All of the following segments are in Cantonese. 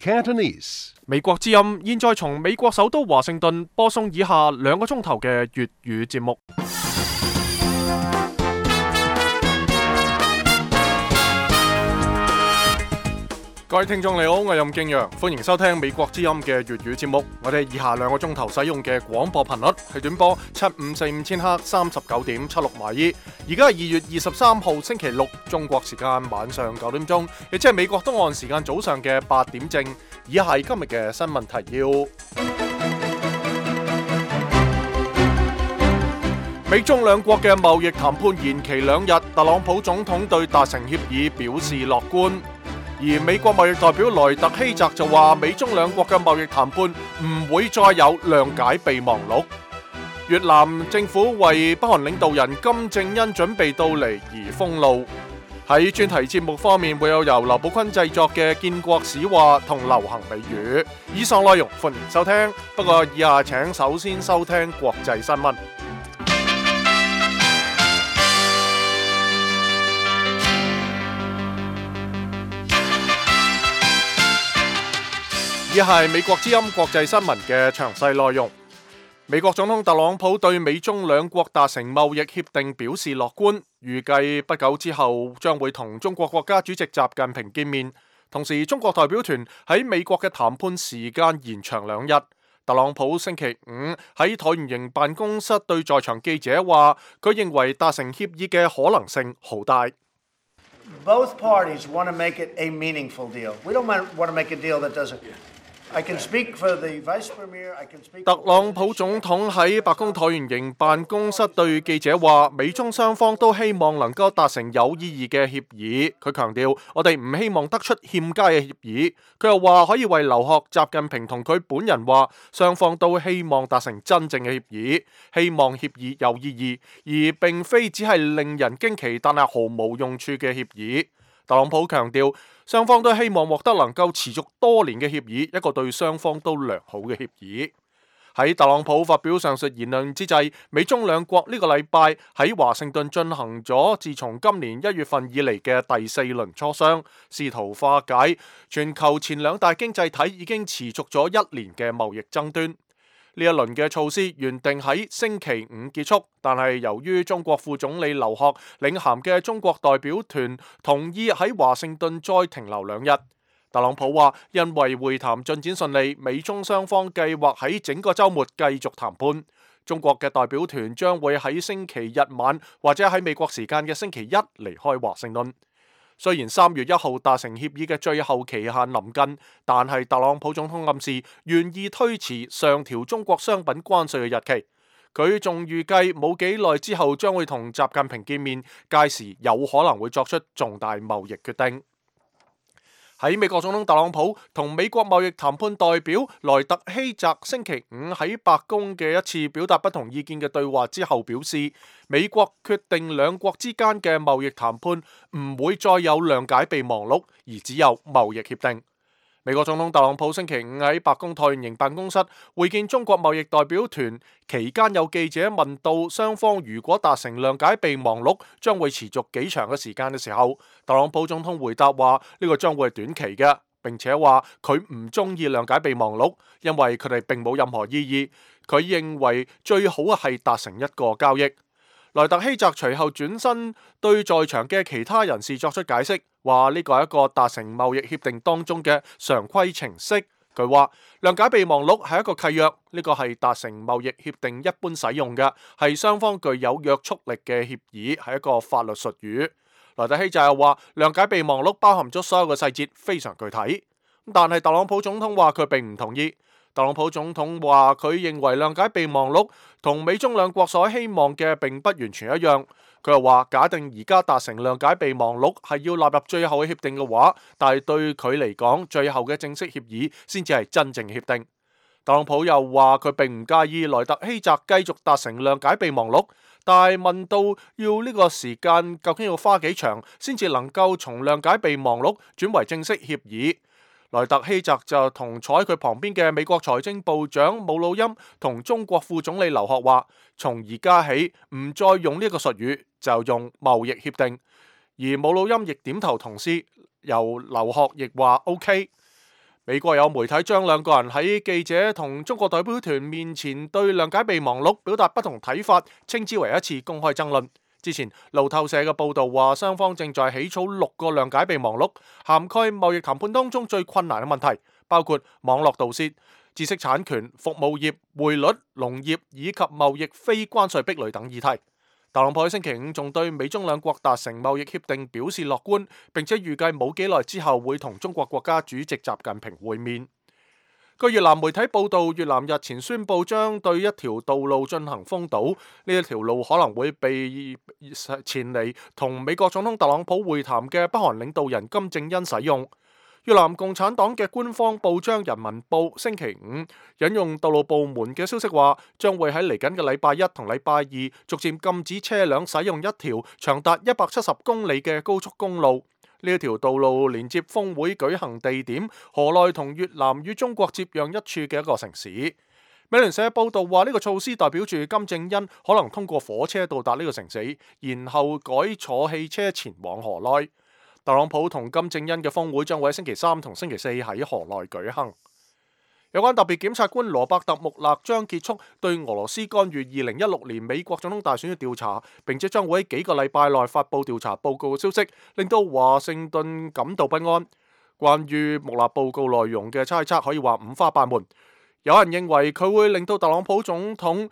Cantonese. 美國之音現在從美國首都華盛頓播送以下2個鐘頭嘅粵語節目。各位聽眾你好，我係任敬陽，歡迎收聽美國之音嘅粵語節目。我哋以下2個鐘頭使用嘅廣播頻率係短波7545千赫39.76馬爾。而家係2月23號星期六，中國時間晚上9點鐘，亦即係美國東岸時間早上嘅8點正。以下係今日嘅新聞提要。美中兩國嘅貿易談判延期2日，特朗普總統對達成協議表示樂觀。而美國貿易代表萊特希澤就話，美中兩國嘅貿易談判唔會再有諒解備忘錄。越南政府為北韓領導人金正恩準備到嚟而封路。喺專題節目方面，會有由劉寶坤製作嘅建國史話同流行美語。以上內容歡迎收聽，不過以下請首先收聽國際新聞。以下係美國之音國際新聞嘅詳細內容。美國總統特朗普對美中兩國達成貿易協定表示樂觀，預計不久之後將會同中國國家主席習近平見面。同時，中國代表團喺美國嘅談判時間延長2日。特朗普星期5喺橢圓形辦公室對在場記者話，佢認為達成協議嘅可能性好大。Both parties want to make it a meaningful deal. We don't want to make a deal that doesn't. I can speak for the Vice Premier. I can speak. 特朗普總統喺白宮橢圓形辦公室對記者話，美中雙方都希望能夠達成有意義嘅協議。佢強調，我哋唔希望得出欠佳嘅協議。佢又話可以為留學習近平同佢本人話，雙方都希望達成真正嘅協議，希望協議有意義，而並非只係令人驚奇但係毫無用處嘅協議。特朗普強調，雙方都希望獲得能夠持續多年嘅協議，一個對雙方都良好嘅協議。喺特朗普發表上述言論之際，美中兩國呢個禮拜喺華盛頓進行咗自從今年1月份以嚟嘅第4輪磋商，試圖化解全球前2大經濟體已經持續咗1年嘅貿易爭端。呢一輪嘅措施原定喺星期5結束，但係由於中國副總理劉鶴領銜嘅中國代表團同意喺華盛頓再停留2日。特朗普話，因為會談進展順利，美中雙方計劃喺整個週末繼續談判。中國嘅代表團將會喺星期日晚或者喺美國時間嘅星期1離開華盛頓。雖然3月1號達成協議嘅最後期限臨近，但係特朗普總統暗示願意推遲上調中國商品關稅嘅日期。佢仲預計冇幾耐之後將會同習近平見面，屆時有可能會作出重大貿易決定。喺美國總統特朗普同美國貿易談判代表萊特希澤星期5喺白宮嘅一次表達不同意見嘅對話之後表示，美國決定兩國之間嘅貿易談判唔會再有諒解備忘錄，而只有貿易協定。美國總統特朗普星期5喺白宮橢圓形辦公室會見中國貿易代表團期間，有記者問到雙方如果達成諒解備忘錄將會持續幾長嘅時間嘅時候，特朗普總統回答話呢個將會係短期嘅，並且話佢唔中意諒解備忘錄，因為佢哋並冇任何意義。佢認為最好係達成一個交易。萊特希澤隨後轉身對在場嘅其他人士作出解釋，話呢個係一個達成貿易協定當中嘅常規程式。佢話諒解備忘錄係一個契約，呢個係達成貿易協定一般使用嘅，係雙方具有約束力嘅協議，係一個法律術語。萊特希澤又話諒解備忘錄包含咗所有嘅細節，非常具體。但係特朗普總統話佢並唔同意。特朗普總統話佢認為諒解備忘錄同美中兩國所希望嘅並不完全一樣。佢又話假定而家達成諒解備忘錄係要納入最後嘅協定嘅話，但係對佢嚟講，最後嘅正式協議先至係真正協定。特朗普又話佢並唔介意萊特希澤繼續達成諒解備忘錄，但係問到要呢個時間究竟要花幾長先至能夠從諒解備忘錄轉為正式協議，萊特希澤就同坐喺佢旁邊嘅美國財政部長姆努欽同中國副總理劉鶴話，從而家起唔再用呢個術語，就用貿易協定。而姆努欽亦點頭同意，由劉鶴亦話 OK。美國有媒體將兩個人喺記者同中國代表團面前對諒解備忘錄表達不同睇法，稱之為一次公開爭論。之前路透社嘅報導話，雙方正在起草6個諒解備忘錄，涵蓋貿易談判當中最困難嘅問題，包括網絡盜竊、知識產權、服務業、匯率、農業以及貿易非關稅壁壘等議題。特朗普喺星期五仲對美中兩國達成貿易協定表示樂觀，並且預計冇幾耐之後會同中國國家主席習近平會面。據越南媒體報導，越南日前宣布將對一條道路進行封堵，呢一條路可能會被前嚟同美國總統特朗普會談嘅北韓領導人金正恩使用。越南共產黨嘅官方報章《人民報》星期五引用道路部門嘅消息話，將會喺嚟緊嘅禮拜一同禮拜二逐漸禁止車輛使用一條長達170公里嘅高速公路。呢一條道路連接峰會舉行地點河內同越南與中國接壤一處嘅一個城市。美聯社報道話，呢個措施代表住金正恩可能通過火車到達呢個城市，然後改坐汽車前往河內。特朗普同金正恩嘅峰會將會喺星期三同星期四喺河內舉行。有關特別檢察官羅伯特穆勒將結束對俄羅斯干預2016年美國總統大選嘅調查，並且將會喺幾個禮拜內發布調查報告嘅消息，令到華盛頓感到不安。關於穆勒報告內容嘅猜測可以話五花八門，有人認為佢會令到特朗普總統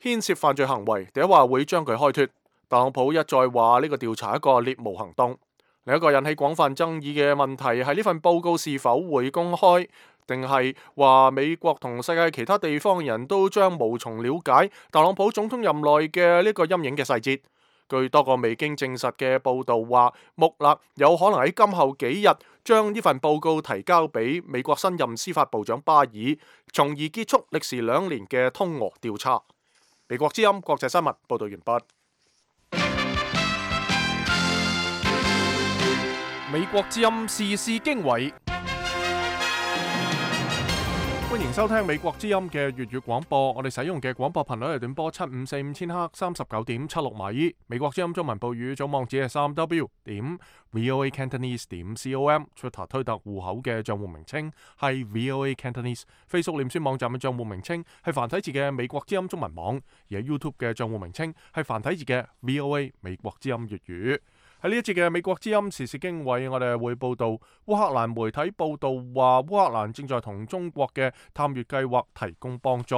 牽涉犯罪行為，第一話會將佢開脫。特朗普一再話呢個調查係一個獵巫行動。另一個引起廣泛爭議嘅問題係呢份報告是否會公開，定係話美國同世界其他地方人都將無從了解特朗普總統任內嘅呢個陰影嘅細節。據多個未經證實嘅報導話，穆勒有可能喺今後幾日將呢份報告提交俾美國新任司法部長巴爾，從而結束歷時2年嘅通俄調查。美國之音國際新聞報導完畢。美國之音時事經緯，歡迎收聽美國之音嘅粵語廣播。我哋使用嘅廣播頻率係短波7545千赫39.76米。美國之音中文部語組網址係3w.voacantonese.com。Twitter 推特戶口嘅賬戶名稱係 VOA Cantonese。Facebook 臉書網站嘅賬戶名稱係繁體字嘅美國之音中文網，而喺 YouTube 嘅賬戶名稱係繁體字嘅 VOA 美國之音粵語。喺呢一節嘅美國之音時事經緯，我哋會報道烏克蘭媒體報道話，烏克蘭正在同中國嘅探月計劃提供幫助。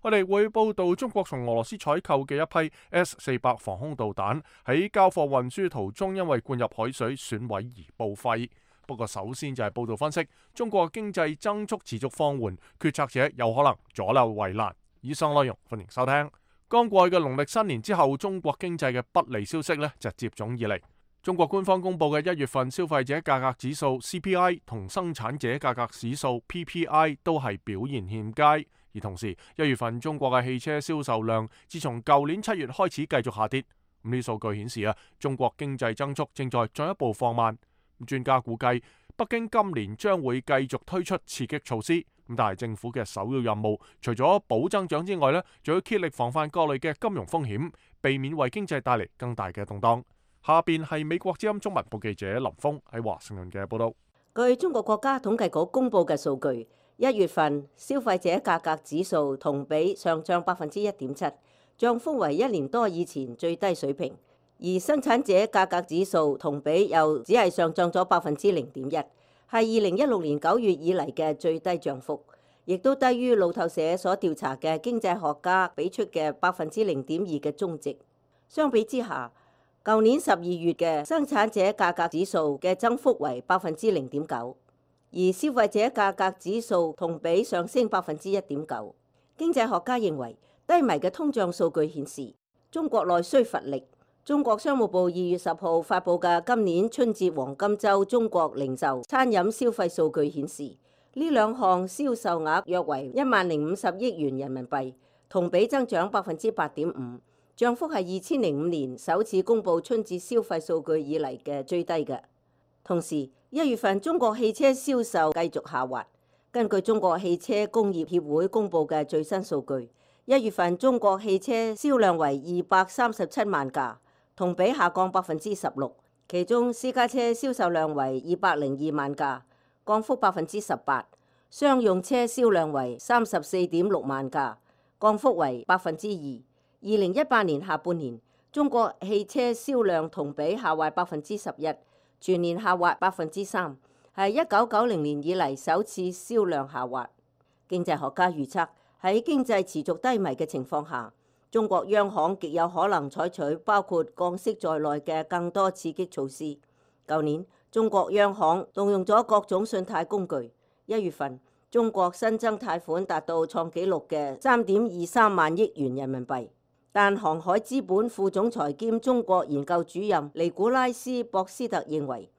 我哋會報道中國從俄羅斯採購嘅一批 S-400 防空導彈喺交貨運輸途中因為灌入海水損毀而報廢。不過首先就係報道分析，中國經濟增速持續放緩，決策者有可能左右為難。以上內容歡迎收聽。剛過去嘅農曆新年之後，中國經濟嘅不利消息就接踵而嚟。中國官方公布嘅1月份消費者價格指數 CPI 同生產者價格指數 PPI 都係表現欠佳，而同時1月份中國嘅汽車銷售量自從舊年7月開始繼續下跌。呢啲數據顯示中國經濟增速正在進一步放慢。專家估計北京今年將會繼續推出刺激措施，但係政府嘅首要任務除咗保增長之外仲要竭力防範各類嘅金融風險，避免為經濟帶嚟更大嘅動盪。下邊係美國之音中文部記者林峰喺華盛頓嘅報道。據中國國家統計局公布嘅數據，1月份消費者價格指數同比上漲1.7%，漲幅為1年多以前最低水平；而生產者價格指數同比又只係上漲咗0.1%，係2016年9月以嚟嘅最低漲幅，亦都低於路透社所調查嘅經濟學家俾出嘅0.2%嘅中值。相比之下，舊年12月嘅生產者價格指數嘅增幅為0.9%，而消費者價格指數同比上升1.9%。經濟學家認為，低迷嘅通脹數據顯示中國內需乏力。中國商務部2月10號發布嘅今年春節黃金週中國零售、餐飲消費數據顯示，呢兩項銷售額約為10,050億元人民幣，同比增長8.5%。漲幅係2005年首次公布春節消費數據以嚟嘅最低嘅。同時，1月份中國汽車銷售繼續下滑。根據中國汽車工業協會公布嘅最新數據，1月份中國汽車銷量為237萬架，同比下降16%。其中私家車銷售量為202萬架，降幅18%，商用車銷量為34.6萬架，降幅為2%。2018年下半年，中國汽車銷量同比下滑11%，全年下滑3%，係1990年以嚟首次銷量下滑。經濟學家預測，喺經濟持續低迷嘅情況下，中國央行極有可能採取包括降息在內嘅更多刺激措施。舊年，中國央行動用咗各種信貸工具。1月份，中國新增貸款達到創紀錄嘅3.23萬億元人民幣。但航海資本副總裁兼中國研究主任尼古拉斯·博斯特認為，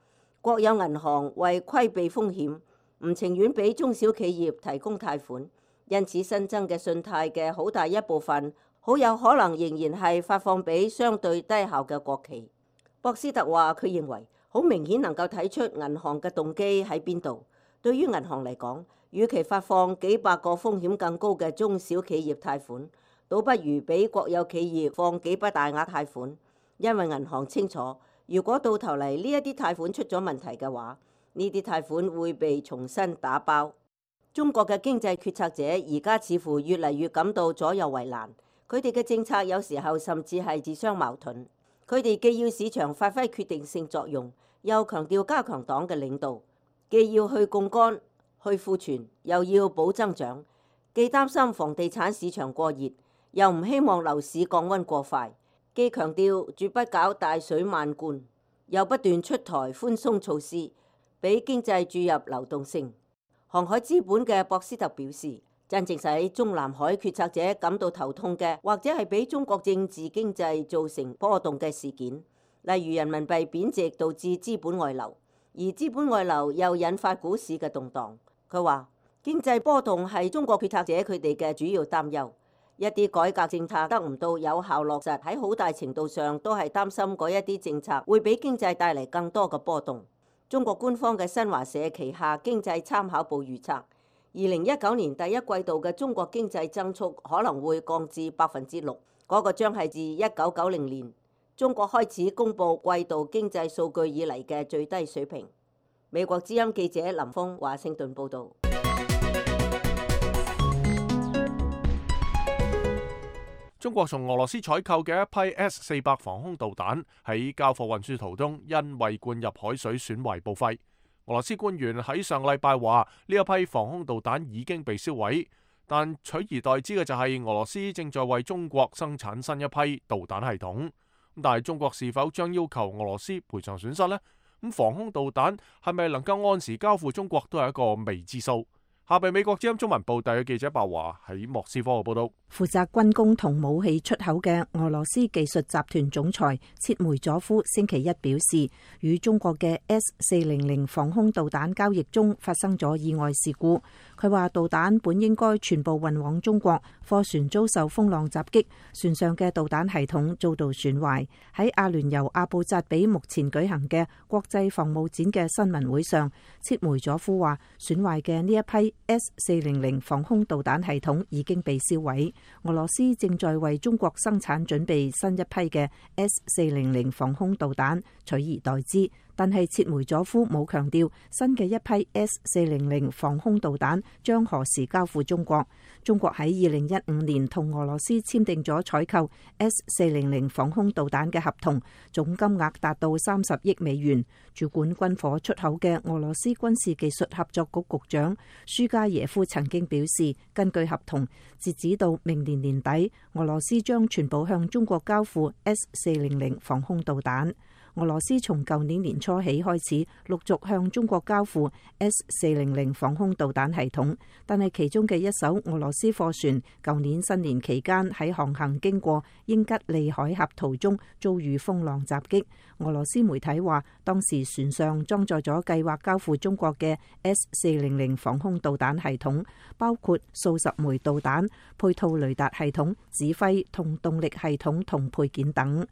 國有銀行為規避風險，唔情願俾中小企業提供貸款，因此新增嘅信貸嘅好大一部分，好有可能仍然係發放俾相對低效嘅國企。博斯特話：佢認為好明顯能夠睇出銀行嘅動機喺邊度。對於銀行嚟講，與其發放幾百個風險更高嘅中小企業貸款，倒不如俾國有企業放幾筆大額貸款，因為銀行清楚，如果到頭嚟呢一啲貸款出咗問題嘅話，呢啲貸款會被重新打包。中國嘅經濟決策者而家似乎越嚟越感到左右為難，佢哋嘅政策有時候甚至係自相矛盾。佢哋既要市場發揮決定性作用，又強調加強黨嘅領導，既要去槓桿、去庫存，又要保增長，既擔心房地產市場過熱，又唔希望樓市降溫過快，既強調絕不搞大水漫灌，又不斷出台寬鬆措施，俾經濟注入流動性。航海資本嘅博斯特表示，真正使中南海決策者感到頭痛嘅，或者係俾中國政治經濟造成波動嘅事件，例如人民幣貶值導致資本外流，而資本外流又引發股市嘅動盪。佢話經濟波動係中國決策者佢哋嘅主要擔憂，一啲改革政策得唔到有效落實，喺好大程度上都係擔心嗰一啲政策會俾經濟帶嚟更多嘅波動。中國官方嘅新華社旗下經濟參考報預測，2019年第一季度嘅中國經濟增速可能會降至6%，嗰個將係自1990年中國開始公布季度經濟數據以嚟嘅最低水平。美國之音記者林峰華盛頓報導。中國從俄羅斯採購嘅一批 S-400防空導彈喺交貨運輸途中，因為灌入海水損壞報廢。俄羅斯官員喺上禮拜話，呢一批防空導彈已經被銷毀，但取而代之嘅就係俄羅斯正在為中國生產新一批導彈系統。但係中國是否將要求俄羅斯賠償損失呢？咁防空導彈係咪能夠按時交付中國都係一個未知數。下邊美國之音中文部第嘅記者白華喺莫斯科嘅報道。負責軍工同武器出口嘅俄羅斯技術集團總裁切梅佐夫星期一表示，與中國嘅 S-400防空導彈交易中發生咗意外事故。佢話導彈本應該全部運往中國，貨船遭受風浪襲擊，船上嘅導彈系統遭到損壞。喺阿聯酋阿布扎比目前舉行嘅國際防務展嘅新聞會上，切梅佐夫話損壞嘅呢一批S-400防空導彈系統已經被銷毀，俄羅斯正在為中國生產準備新一批嘅 S-400防空導彈，取而代之。但係切梅佐夫冇強調新嘅一批 S-400防空導彈將何時交付中國。中國喺2015年同俄羅斯簽訂咗採購 S-400防空導彈嘅合同，總金額達到30億美元。主管軍火出口嘅俄羅斯軍事技術合作局局長舒加耶夫曾經表示，根據合同，截止到明年年底，俄羅斯將全部向中國交付 S-400防空導彈。俄羅斯從舊年年初起開始陸續向中國交付 S-400防空導彈系統，但係其中嘅一艘俄羅斯貨船舊年新年期間喺航行經過英吉利海峽途中遭遇風浪襲擊。俄羅斯媒體話，當時船上裝載咗計劃交付中國嘅 S-400防空導彈系統，包括數十枚導彈、配套雷達系統、指揮同動力系統同配件等。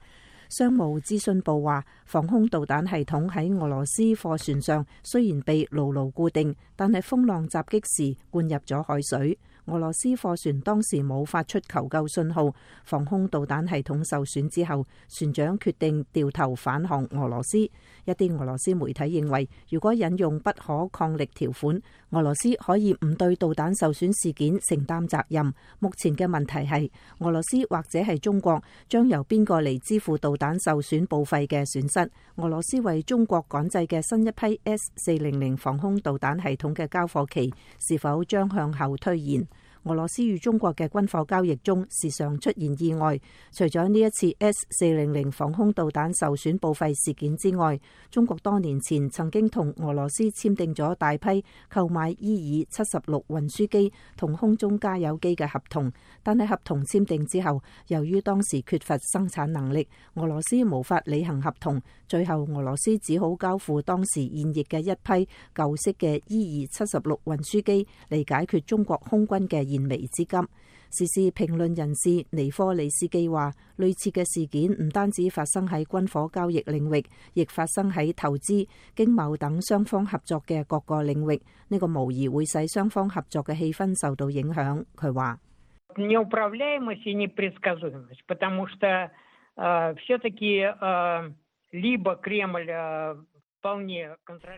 商務資訊部話，防空導彈系統喺俄羅斯貨船上雖然被牢牢固定，但係風浪襲擊時灌入咗海水。俄羅斯貨船當時冇發出求救信號，防空導彈系統受損之後，船長決定掉頭返航俄羅斯。一啲俄羅斯媒體認為，如果引用不可抗力條款，俄羅斯可以唔對導彈受損事件承擔責任。目前嘅問題係，俄羅斯或者係中國將由邊個嚟支付導彈受損報廢嘅損失？俄羅斯為中國趕製嘅新一批 S-400防空導彈系統嘅交貨期是否將向後推延？俄羅斯與中國嘅軍火交易中時常出現意外，除咗呢一次 S-400防空導彈受損報廢事件之外，中國多年前曾經同俄羅斯簽訂咗大批購買伊爾-76運輸機同空中加油機嘅合同，但係合同簽訂之後，由於當時缺乏生產能力，俄羅斯無法履行合同，最後俄羅斯只好交付當時現役嘅一批舊式嘅伊爾-76運輸機嚟解決中國空軍嘅燃眉之急。時事評論人士尼科里斯基話，類似嘅事件唔單止發生喺軍火交易領域，亦發生喺投資、經貿等雙方合作嘅各個領域。呢個無疑會使雙方合作嘅氣氛受到影響。佢話неуправляемость и непредсказуемость, потому что все-таки либо Кремль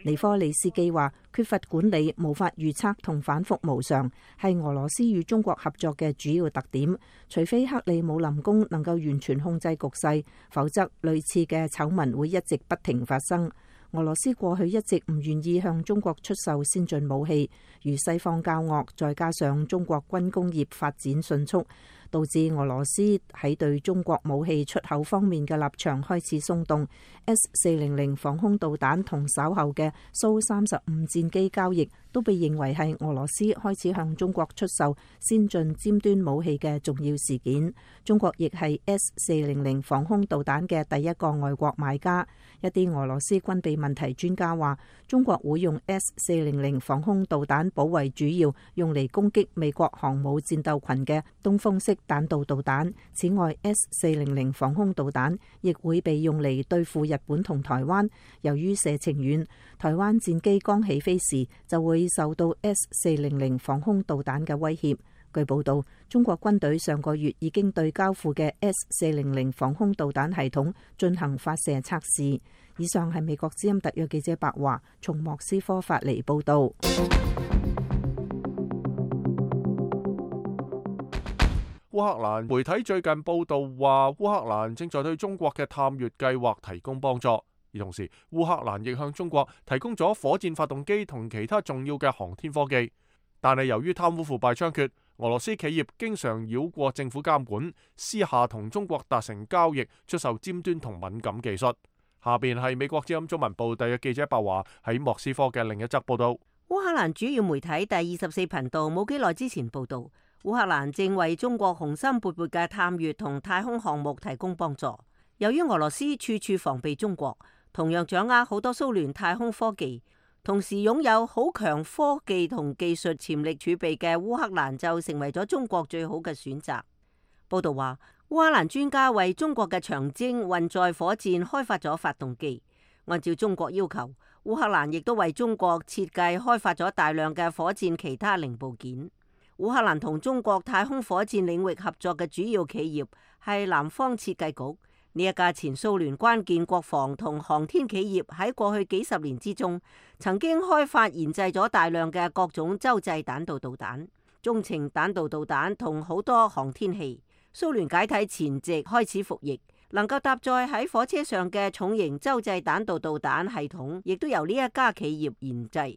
尼科里斯基話，缺乏管理、無法預測同反覆無常，係俄羅斯與中國合作嘅主要特點。除非克里姆林宮能夠完全控制局勢，否則類似嘅醜聞會一直不停發生。俄羅斯過去一直唔願意向中國出售先進武器，與西方交惡，再加上中國軍工業發展迅速，導致俄羅斯喺對中國武器出口方面嘅立場開始鬆動。S-400防空導彈同稍後嘅蘇35戰機交易都被認為係俄羅斯開始向中國出售先進尖端武器嘅重要事件。中國亦係 S-400防空導彈嘅第一個外國買家。一啲俄羅斯軍備問題專家話，中國會用 S-400防空導彈保衛主要用嚟攻擊美國航母戰鬥群嘅東風式彈道導彈。此外， S-400防空導彈亦會被用嚟對付日本同台灣。由於射程遠，台灣戰機剛起飛時就會受到 S-400防空導彈嘅威脅。據報道，中國軍隊上個月已經對交付嘅 S-400防空導彈系統進行發射測試。以上係美國之音特約記者白華從莫斯科發嚟報道。烏克蘭媒體最近報道話，烏克蘭正在對中國嘅探月計劃提供幫助，而同時烏克蘭亦向中國提供咗火箭發動機同其他重要嘅航天科技。但係由於貪污腐敗猖獗，俄羅斯企業經常繞過政府監管，私下同中國達成交易，出售尖端同敏感技術。下邊係美國之音中文部特約記者白華喺莫斯科嘅另一則報道。烏克蘭主要媒體第24頻道冇幾耐之前報道，烏克蘭正為中國雄心勃勃嘅探月同太空項目提供幫助。由於俄羅斯處處防備中國，同樣掌握好多蘇聯太空科技，同時擁有好強科技同技術潛力儲備嘅烏克蘭就成為咗中國最好嘅選擇。報道話，烏克蘭專家為中國嘅長征運載火箭開發咗發動機。按照中國要求，烏克蘭亦都為中國設計開發咗大量嘅火箭其他零部件。烏克蘭同中國太空火箭領域合作嘅主要企業係南方設計局。呢一家前蘇聯關鍵國防同航天企業喺過去幾十年之中，曾經開發研製咗大量嘅各種洲際彈道導彈、中程彈道導彈同好多航天器。蘇聯解體前夕開始服役，能夠搭載喺火車上嘅重型洲際彈道導彈系統，亦都由呢一家企業研製。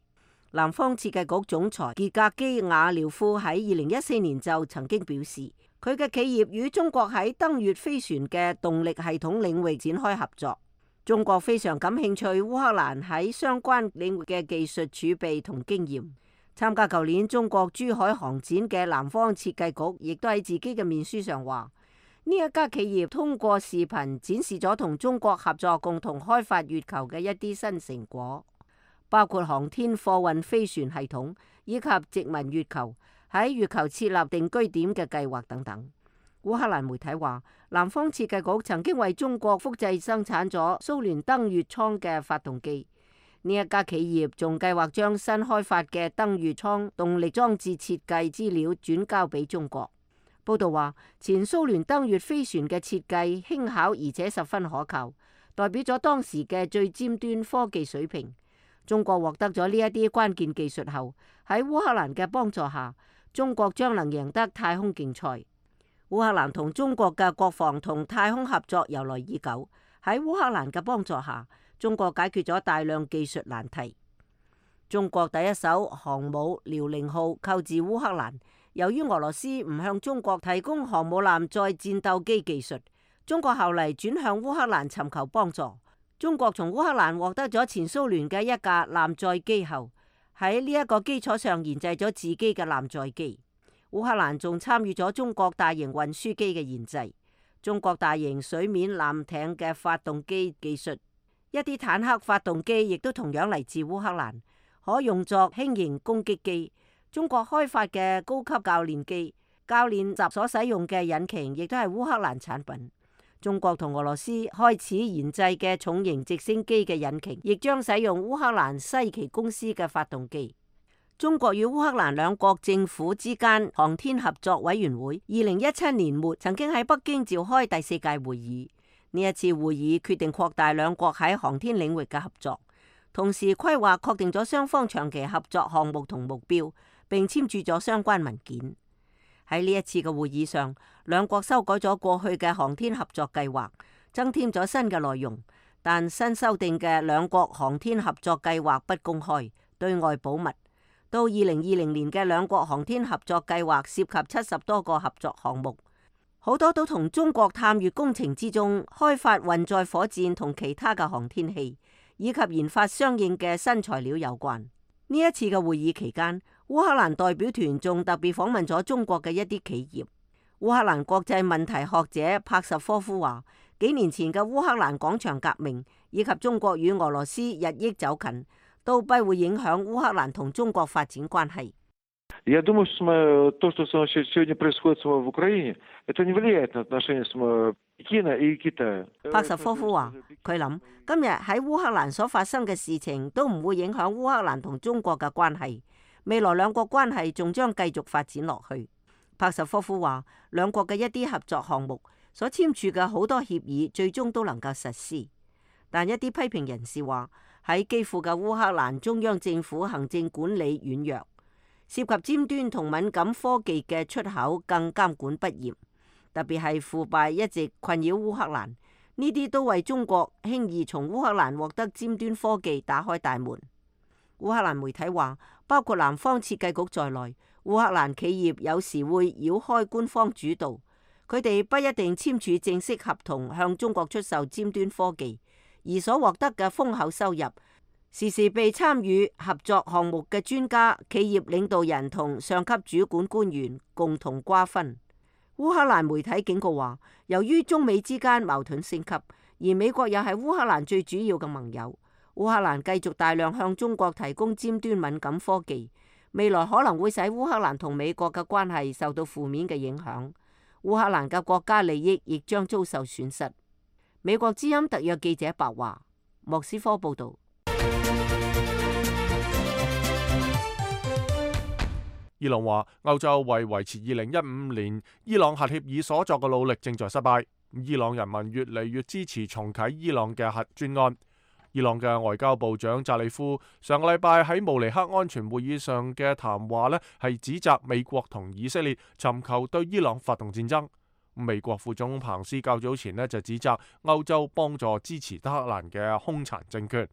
南方設計局總裁傑格基亞廖夫喺2014年就曾經表示，佢嘅企業與中國喺登月飛船嘅動力系統領域展開合作。中國非常感興趣烏克蘭喺相關領域嘅技術儲備同經驗。參加舊年中國珠海航展嘅南方設計局亦都喺自己嘅面書上話，呢一家企業通過視頻展示咗同中國合作共同開發月球嘅一啲新成果，包括航天貨運飛船系統以及殖民月球、喺月球設立定居點嘅計劃等等。烏克蘭媒體話，南方設計局曾經為中國複製生產咗蘇聯登月艙嘅發動機。呢一家企業仲計劃將新開發嘅登月艙動力裝置設計資料轉交俾中國。報道話，前蘇聯登月飛船嘅設計輕巧而且十分可靠，代表咗當時嘅最尖端科技水平。中國獲得咗呢一啲關鍵技術後，喺烏克蘭嘅幫助下，中國將能贏得太空競賽。烏克蘭同中國嘅國防同太空合作由來已久，喺烏克蘭嘅幫助下，中國解決咗大量技術難題。中國第一艘航母遼寧號購自烏克蘭，由於俄羅斯唔向中國提供航母艦載戰鬥機技術，中國後嚟轉向烏克蘭尋求幫助。中國從烏克蘭獲得咗前蘇聯嘅一架艦載機後，喺呢一個基礎上研製咗自己嘅艦載機。烏克蘭仲參與咗中國大型運輸機嘅研製，中國大型水面艦艇嘅發動機技術，一啲坦克發動機亦都同樣嚟自烏克蘭，可用作輕型攻擊機。中國開發嘅高級教練機、教練習所使用嘅引擎，亦都係烏克蘭產品。中國同俄羅斯開始研製嘅重型直升機嘅引擎，亦將使用烏克蘭西奇公司嘅發動機。中國與烏克蘭兩國政府之間航天合作委員會2017年末曾經喺北京召開第4屆會議。呢一次會議決定擴大兩國喺航天領域嘅合作，同時規劃確定咗雙方長期合作項目同目標，並簽署咗相關文件。喺呢一次嘅會議上，兩國修改咗過去嘅航天合作計劃，增添咗新嘅內容，但新修訂嘅兩國航天合作計劃不公開，對外保密。到2020年嘅兩國航天合作計劃涉及70多個合作項目，好多都同中國探月工程之中開發運載火箭同其他嘅航天器，以及研發相應嘅新材料有關。呢一次嘅會議期間，烏克蘭代表團仲特別訪問咗中國嘅一啲企業。烏克蘭國際問題學者帕什科夫話，幾年前嘅烏克蘭廣場革命以及中國與俄羅斯日益走近，都不會影響烏克蘭同中國發展關係。Я думаю, что то, что сегодня происходит в Украине, это не влияет на отношения Пекина и Китая. 帕什科夫話，佢諗今日喺烏克蘭所發生嘅事情都唔會影響烏克蘭同中國嘅關係，未來兩國關係仲將繼續發展落去。帕什科夫話，兩國嘅一啲合作項目所簽署嘅好多協議最終都能夠實施，但一啲批評人士話，喺基輔嘅烏克蘭中央政府行政管理軟弱，涉及尖端同敏感科技嘅出口更監管不嚴，特別係腐敗一直困擾烏克蘭，呢啲都為中國輕易從烏克蘭獲得尖端科技打開大門。烏克蘭媒體話，包括南方設計局在內，烏克蘭企業有時會繞開官方主導，佢哋不一定簽署正式合同向中國出售尖端科技，而所獲得嘅豐厚收入，時時被參與合作項目嘅專家、企業領導人同上級主管官員共同瓜分。烏克蘭媒體警告話，由於中美之間矛盾升級，而美國又係烏克蘭最主要嘅盟友，烏克蘭繼續大量向中國提供尖端敏感科技，未來可能會使烏克蘭同美國嘅關係受到負面嘅影響，烏克蘭嘅國家利益亦將遭受損失。美國之音特約記者白華，莫斯科報道。伊朗話，歐洲為維持2015年伊朗核協議所作嘅努力正在失敗。伊朗人民越嚟越支持重啟伊朗嘅核專案。伊朗嘅外交部長扎里夫上個禮拜喺慕尼黑安全會議上嘅談話呢，係指責美國同以色列尋求對伊朗發動戰爭。美國副總統彭斯較早前呢就指責歐洲幫助支持德黑蘭嘅兇殘政權。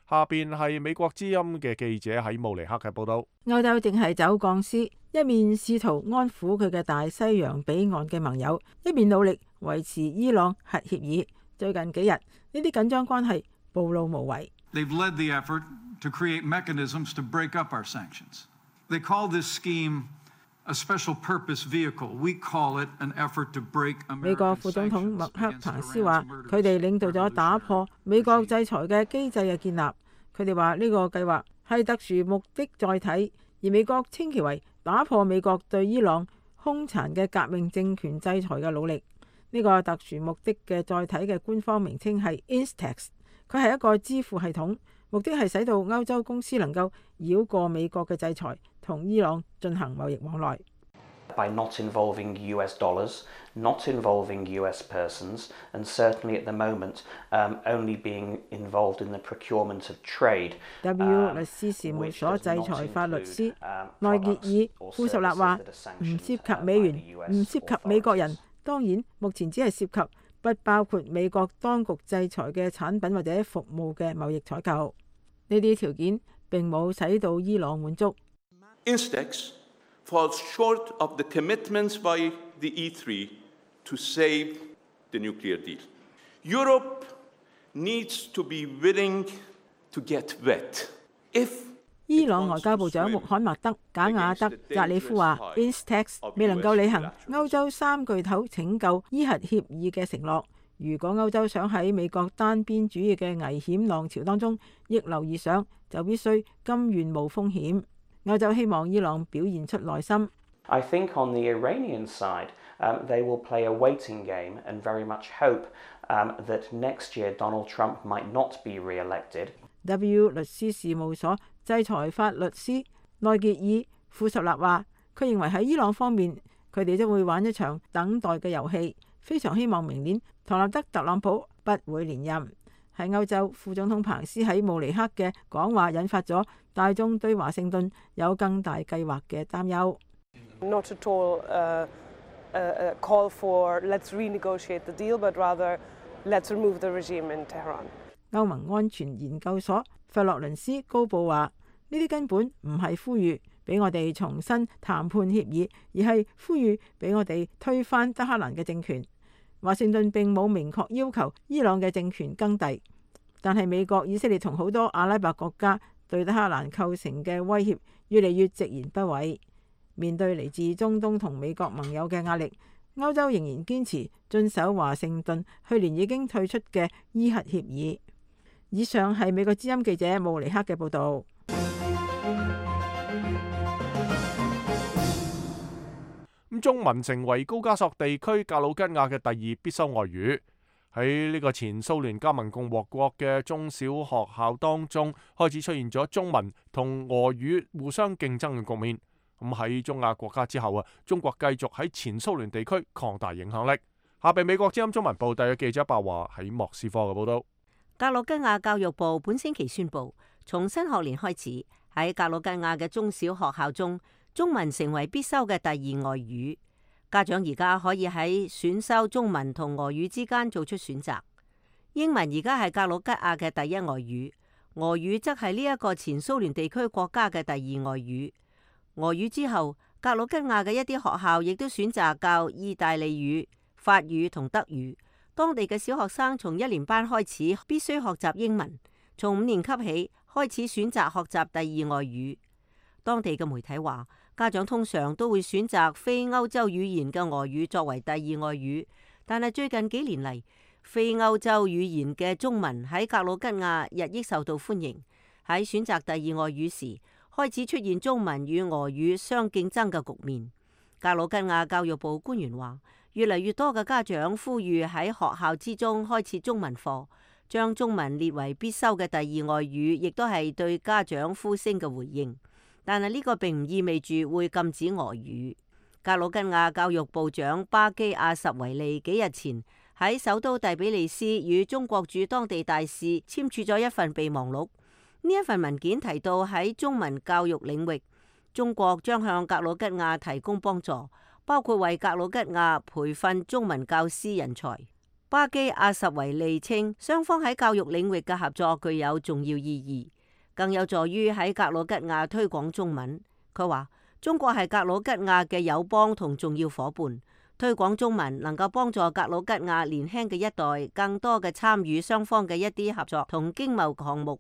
下邊係美國之音嘅記者喺慕尼黑嘅報道。歐洲正係走鋼絲，一面試圖安撫佢嘅大西洋彼岸嘅盟友，一面努力維持伊朗核協議。最近幾日，呢啲緊張關係暴露無遺。They've led the effort to create mechanisms to break up our sanctions. They call this scheme a special purpose vehicle. We call it an effort to break American sanctions. 美國副總統麥克彭斯話，佢哋領導咗打破美國制裁嘅機制嘅建立。佢哋話呢個計劃係特殊目的載體，而美國稱其為打破美國對伊朗兇殘嘅革命政權制裁嘅努力。呢個特殊目的嘅載體嘅官方名稱係 Instex， 佢係一個支付系統，目的係使到歐洲公司能夠繞過美國嘅制裁，同伊朗進行貿易往來。By not involving US dollars, not involving US persons, and certainly at the moment only being involved in the procurement of trade. W 律師事務所制裁法律師內傑爾庫什納話：唔涉及美元，唔涉及美國人。當然，目前只係涉及不包括美國當局制裁嘅產品或者服務嘅貿易採購。呢啲條件並冇使到伊朗滿足。Instex falls short of the commitments by the E3 to save the nuclear deal. Europe needs to be willing to get wet. If 伊朗外交部長穆罕默德·賈瓦德·扎里夫話 ，Instex 未能夠履行歐洲三巨頭拯救伊核協議嘅承諾。如果歐洲想喺美國單邊主義嘅危險浪潮當中逆流而上，就必須甘願冒風險。歐洲希望伊朗表現出耐心。I think on the Iranian side, they will play a waiting game and very much hope that next year Donald Trump might not be re-elected. W 律師事務所制裁法律師內傑爾庫什納話，佢認為喺伊朗方面，佢哋將會玩一場等待嘅遊戲，非常希望明年唐納德·特朗普不會連任。喺歐洲，副總統彭斯喺慕尼黑嘅講話引發咗大眾對華盛頓有更大計劃嘅擔憂。Not at all a call for let's renegotiate the deal, but rather let's remove the regime in Tehran. 歐盟安全研究所費洛倫斯高布話：呢啲根本唔係呼籲俾我哋重新談判協議，而係呼籲俾我哋推翻德黑蘭嘅政權。華盛頓並冇明確要求伊朗嘅政權更替，但係美國、以色列同好多阿拉伯國家對德黑蘭構成嘅威脅越嚟越直言不諱。面對嚟自中東同美國盟友嘅壓力，歐洲仍然堅持遵守華盛頓去年已經退出嘅伊核協議。以上係美國之音記者慕尼克嘅報導。中文成為高加索地區格魯吉亞嘅第二必修外語。喺呢個前蘇聯加盟共和國嘅中小學校當中，開始出現咗中文同俄語互相競爭嘅局面。咁喺中亞國家之後中國繼續喺前蘇聯地區擴大影響力。下邊美國之音中文部第一記者白華喺莫斯科嘅報道。格魯吉亞教育部本星期宣布，從新學年開始，喺格魯吉亞嘅中小學校中，中文成為必修嘅第二外語。家長而家可以喺選修中文同俄語之間做出選擇。英文而家係格魯吉亞嘅第一外語，俄語則係呢一個前蘇聯地區國家嘅第二外語。俄語之後，格魯吉亞嘅一啲學校亦都選擇教意大利語、法語同德語。當地嘅小學生從1年班開始必須學習英文，從5年級起開始選擇學習第二外語。當地嘅媒體話，家長通常都會選擇非歐洲語言嘅俄語作為第二外語，但係最近幾年嚟，非歐洲語言嘅中文喺格魯吉亞日益受到歡迎。喺選擇第二外語時，開始出現中文與俄語相競爭嘅局面。格魯吉亞教育部官員話，越嚟越多嘅家長呼籲喺學校之中開設中文課，將中文列為必修嘅第二外語，亦都係對家長呼聲嘅回應。但係呢個並唔意味住會禁止俄語。格魯吉亞教育部長巴基亞什維利幾日前喺首都第比利斯與中國駐當地大使簽署咗一份備忘錄。呢一份文件提到喺中文教育領域，中國將向格魯吉亞提供幫助，包括為格魯吉亞培訓中文教師人才。巴基亞什維利稱，雙方喺教育領域嘅合作具有重要意義，更有助於喺格魯吉亞推廣中文。佢話，中國係格魯吉亞嘅友邦同重要夥伴，推廣中文能夠幫助格魯吉亞年輕嘅一代更多嘅參與雙方嘅一啲合作同經貿項目。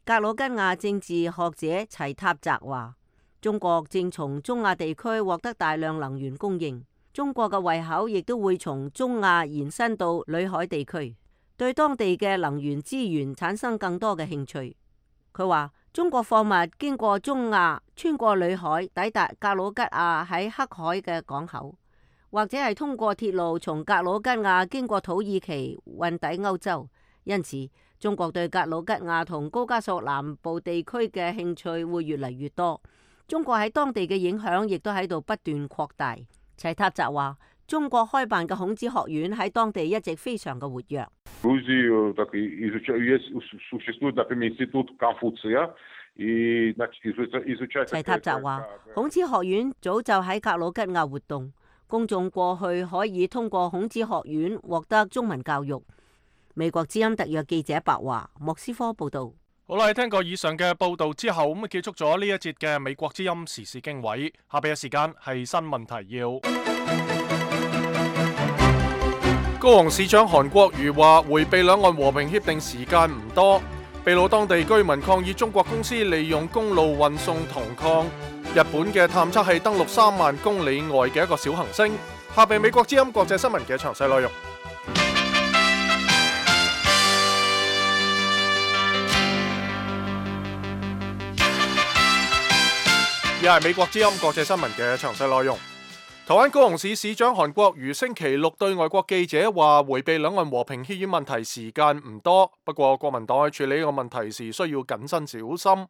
格魯吉亞政治學者齊塔澤話，中國正從中亞地區獲得大量能源供應，中國嘅胃口亦都會從中亞延伸到裏海地區，對當地嘅能源資源產生更多嘅興趣。佢話，中國貨物經過中亞，穿過裏海，抵達格魯吉亞喺黑海嘅港口，或者係通過鐵路從格魯吉亞經過土耳其運抵歐洲，因此中國對格魯吉亞同高加索南部地區嘅興趣會越嚟越多，中國喺當地嘅影響亦都喺度不斷擴大。齊塔澤話：中國開辦嘅孔子學院喺當地一直非常嘅活躍。齊塔澤話：孔子學院早就喺格魯吉亞活動，公眾過去可以通過孔子學院獲得中文教育。美國之音特約記者白華莫斯科報道。好啦，聽過以上嘅報道之後，咁結束咗呢一節嘅美國之音時事經緯。下邊嘅時間係新聞提要。高雄市長韓國瑜話：迴避兩岸和平協定時間唔多。秘魯當地居民抗議中國公司利用公路運送銅礦。日本嘅探測器登陸3萬公里外嘅一個小行星。下邊美國之音國際新聞嘅詳細內容。又係美國之音國際新聞嘅詳細內容。台灣高雄市市長韓國瑜星期六對外國記者話：迴避兩岸和平協議問題時間唔多，不過國民黨喺處理呢個問題時需要謹慎小心。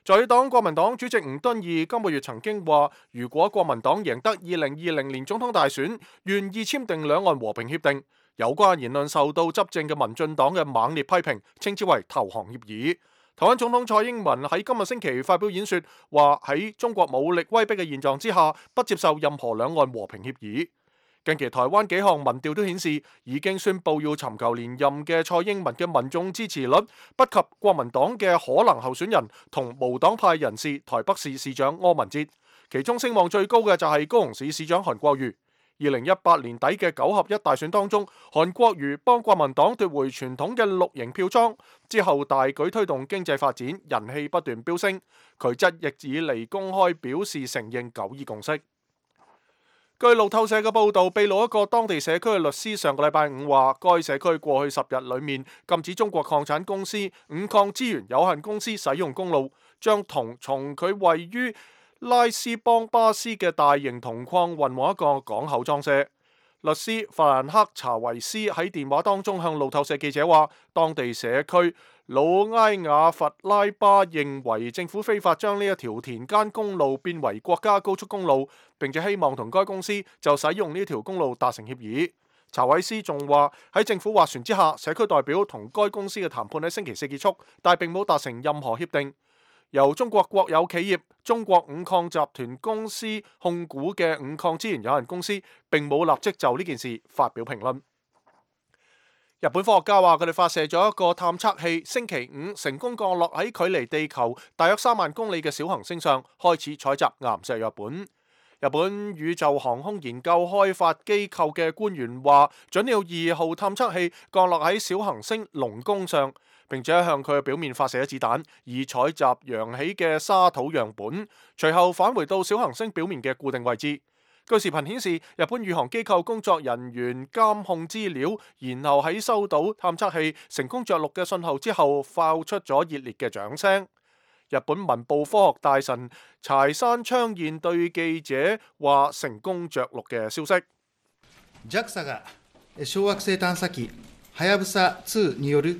在野黨國民黨主席吳敦義今個月曾經話，如果國民黨贏得2020年總統大選，願意簽訂兩岸和平協定。有關言論受到執政嘅民進黨嘅猛烈批評，稱之為投降協議。台灣總統蔡英文喺今個星期發表演說，話喺中國武力威逼嘅現狀之下，不接受任何兩岸和平協議。近期台灣幾項民調都顯示，已經宣布要尋求連任嘅蔡英文嘅民眾支持率不及國民黨嘅可能候選人同無黨派人士台北市市長柯文哲，其中聲望最高嘅就係高雄市市長韓國瑜。2018年底嘅9合1大選當中，韓國瑜幫國民黨奪回傳統嘅綠營票倉，之後大舉推動經濟發展，人氣不斷飆升。佢則亦以嚟公開表示承認9二共識。據路透社嘅報導，秘魯一個當地社區嘅律師上個禮拜5話，該社區過去10日裡面禁止中國礦產公司五礦資源有限公司使用公路，將銅從佢位於拉斯邦巴斯嘅大型銅礦運往一個港口裝卸。律師法蘭克查維斯喺電話當中向路透社記者話，當地社區魯埃亞弗拉巴認為政府非法將呢一條田間公路變為國家高速公路，並且希望同該公司就使用呢條公路達成協議。查維斯仲話喺政府斡旋之下，社區代表同該公司嘅談判喺星期4結束，但並冇達成任何協定。由中國國有企業中國五礦集團公司控股嘅五礦資源有限公司並冇立即就呢件事發表評論。日本科學家話佢哋發射咗一個探測器，星期5成功降落喺距離地球大約3萬公里嘅小行星上，開始採集岩石樣本。日本宇宙航空研究開發機構嘅官員話，準鳥2號探測器降落喺小行星龍宮上，並且向佢嘅表面發射咗子彈，以採集揚起嘅沙土樣本，隨後返回到小行星表面嘅固定位置。據視頻顯示，日本宇航機構工作人員監控資料，然後喺收到探測器成功着陸嘅信號之後，爆出咗熱烈嘅掌聲。日本文部科學大臣柴山昌彥對記者話成功着陸嘅消息。JAXA が小惑星探査機はやぶさ2による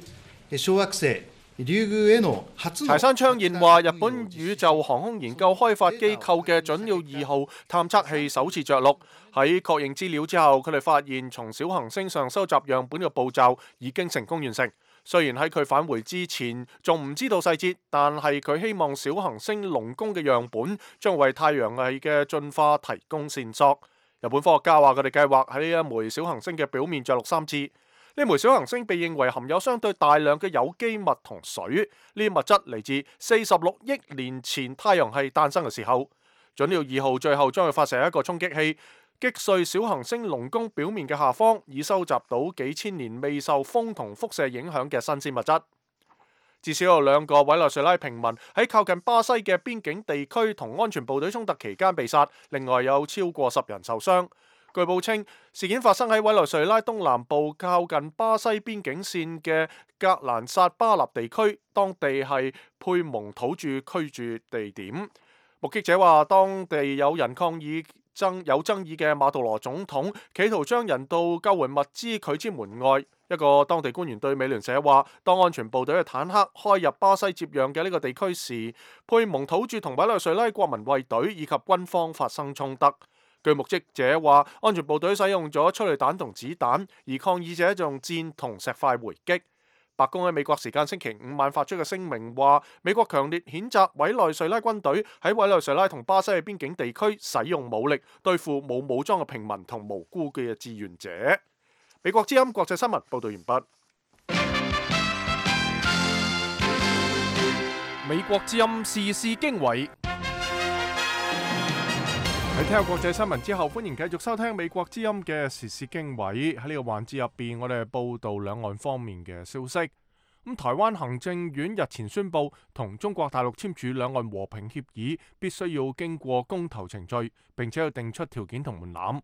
小惑星リュウグウへの初の。柴山昌彥話，日本宇宙航空研究開發機構嘅準鳥2號探測器首次着陸，喺確認資料之後，佢哋發現從小行星上收集樣本嘅步驟已經成功完成。雖然喺佢返回之前仲唔知道細節，但係佢希望小行星龍宮嘅樣本將為太陽系嘅進化提供線索。日本科學家話佢哋計劃喺呢一枚小行星嘅表面着陸3次。呢枚小行星被認為含有相對大量嘅有機物同水，呢啲物質嚟自46億年前太陽系誕生嘅時候。準鳥2號最後將會發射一個衝擊器，擊碎小行星龍宮表面嘅下方，以收集到幾千年未受風同輻射影響嘅新鮮物質。至少有2個委內瑞拉平民喺靠近巴西嘅邊境地區同安全部隊衝突期間被殺，另外有超過10人受傷。據報稱，事件發生喺委內瑞拉東南部靠近巴西邊境線嘅格蘭薩巴納地區，當地係佩蒙土著居住地點。目擊者話，當地有人抗議有爭議嘅馬杜羅總統企圖將人道救援物資拒之門外。一個當地官員對美聯社話，當安全部隊嘅坦克開入巴西接壤嘅呢個地區時，佩蒙土著同委內瑞拉國民衛隊以及軍方發生衝突。據目擊者話，安全部隊使用咗催淚彈同子彈，而抗議者就用箭同石塊回擊。白宮喺美國時間星期五晚發出嘅聲明話，美國強烈譴責委內瑞拉軍隊喺委內瑞拉同巴西嘅邊境地區使用武力對付冇武裝嘅平民同無辜嘅志願者。美國之音國際新聞報道完畢。美國之音時事經緯。喺聽下國際新聞之後，歡迎繼續收聽美國之音嘅時事經緯。喺呢個環節入邊，我哋報道兩岸方面嘅消息。台灣行政院日前宣布，同中國大陸簽署兩岸和平協議，必須要經過公投程序，並且要定出條件同門檻。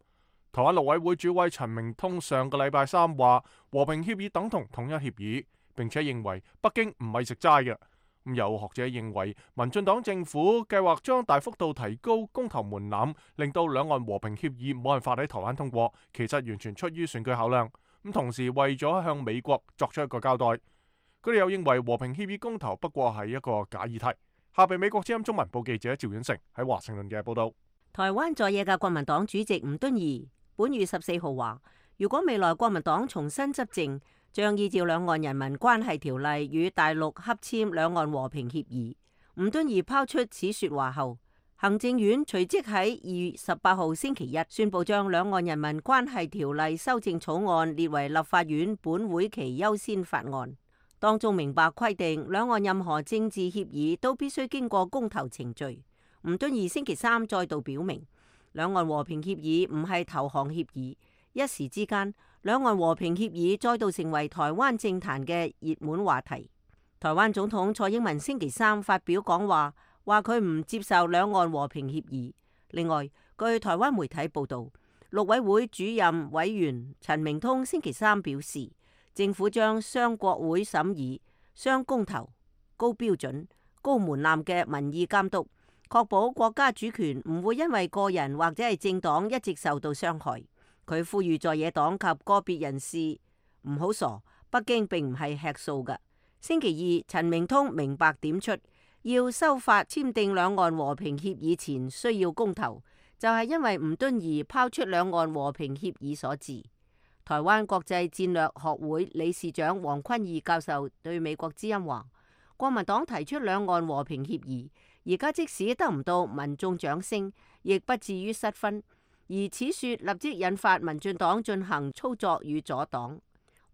台灣陸委會主委陳明通上個禮拜三話，和平協議等同統一協議，並且認為北京唔係食齋嘅。有學者認為，民進黨政府計劃將大幅度提高公投門檻，令到兩岸和平協議冇辦法喺台灣通過，其實完全出於選舉考量。同時為咗向美國作出一個交代，佢哋又認為和平協議公投不過係一個假議題。下邊美國之音中文部記者趙遠成喺華盛頓嘅報道。台灣在野嘅國民黨主席吳敦義本月14號話，如果未來國民黨重新執政，將依照兩岸人民關係條例與大陸洽簽兩岸和平協議。吳敦義拋出此說話後，行政院隨即喺2月18號星期一宣布將兩岸人民關係條例修正草案列為立法院本會期優先法案，當中明白規定兩岸任何政治協議都必須經過公投程序。吳敦義星期三再度表明，兩岸和平協議唔係投降協議。一時之間，兩岸和平協議再度成為台灣政壇嘅熱門話題。台灣總統蔡英文星期三發表講話，話佢唔接受兩岸和平協議。另外，據台灣媒體報道，陸委會主任委員陳明通星期三表示，政府將雙國會審議、雙公投、高標準、高門檻嘅民意監督，確保國家主權唔會因為個人或者係政黨一直受到傷害。佢呼籲在野黨及個別人士唔好傻，北京並唔係吃素嘅。星期二，陳明通明白點出，要修法簽訂兩岸和平協議前需要公投，就係因為吳敦義拋出兩岸和平協議所致。台灣國際戰略學會理事長黃坤義教授對美國之音話，國民黨提出兩岸和平協議，而家即使得唔到民眾掌聲，亦不至於失分。而此說立即引發民進黨進行操作與阻擋。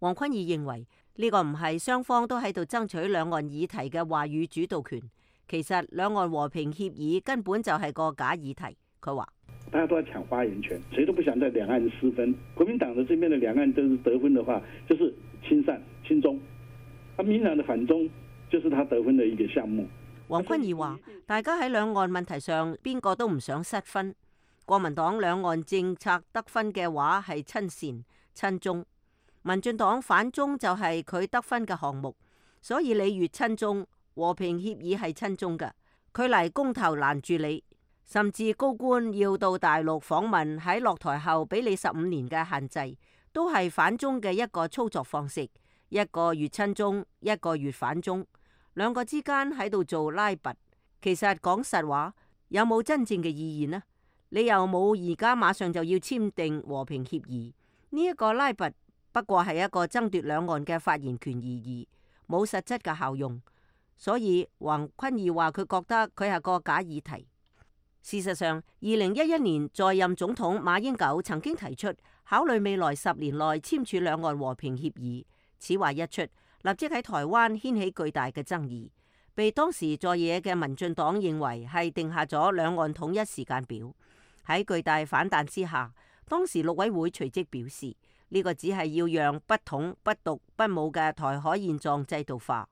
黃坤義認為呢個唔係雙方都喺度爭取兩岸議題嘅話語主導權，其實兩岸和平協議根本就係個假議題。佢話：大家都在搶發言權，誰都不想在兩岸失分。國民黨的這邊的兩岸都是得分的話，就是親善親中；民進黨的反中，就是他得分的一個項目。黃坤義話：大家喺兩岸問題上，邊個都唔想失分。國民黨兩岸政策得分嘅話係親善親中，民進黨反中就係佢得分嘅項目，所以你越親中，和平協議係親中嘅，佢嚟公投攔住你，甚至高官要到大陸訪問，喺落台後俾你15年嘅限制，都係反中嘅一個操作方式，一個越親中，一個越反中，兩個之間喺度做拉拔。其實講實話，有冇真正嘅意義呢？你又冇而家馬上就要簽訂和平協議，呢一個拉拔不過係一個爭奪兩岸嘅發言權而已，冇實質嘅效用。所以黃坤義話佢覺得佢係個假議題。事實上，2011年在任總統馬英九曾經提出考慮未來10年內簽署兩岸和平協議，此話一出，立即喺台灣掀起巨大嘅爭議，被當時在野嘅民進黨認為係定下咗兩岸統一時間表。喺巨大反彈之下，當時陸委會隨即表示，呢個只係要讓不統、不獨、不武嘅台海現狀制度化。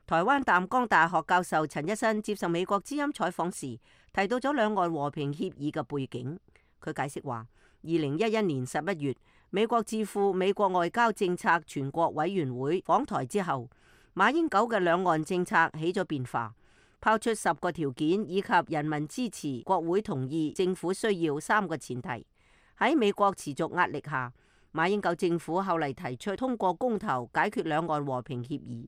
台灣淡江大學教授陳一新接受美國之音採訪時，提到咗兩岸和平協議嘅背景。佢解釋話，2011年11月，美國智庫美國外交政策全國委員會訪台之後，馬英九嘅兩岸政策起咗變化。拋出10個條件以及人民支持、國會同意、政府需要3個前提。喺美國持續壓力下，馬英九政府後嚟提出通過公投解決兩岸和平協議，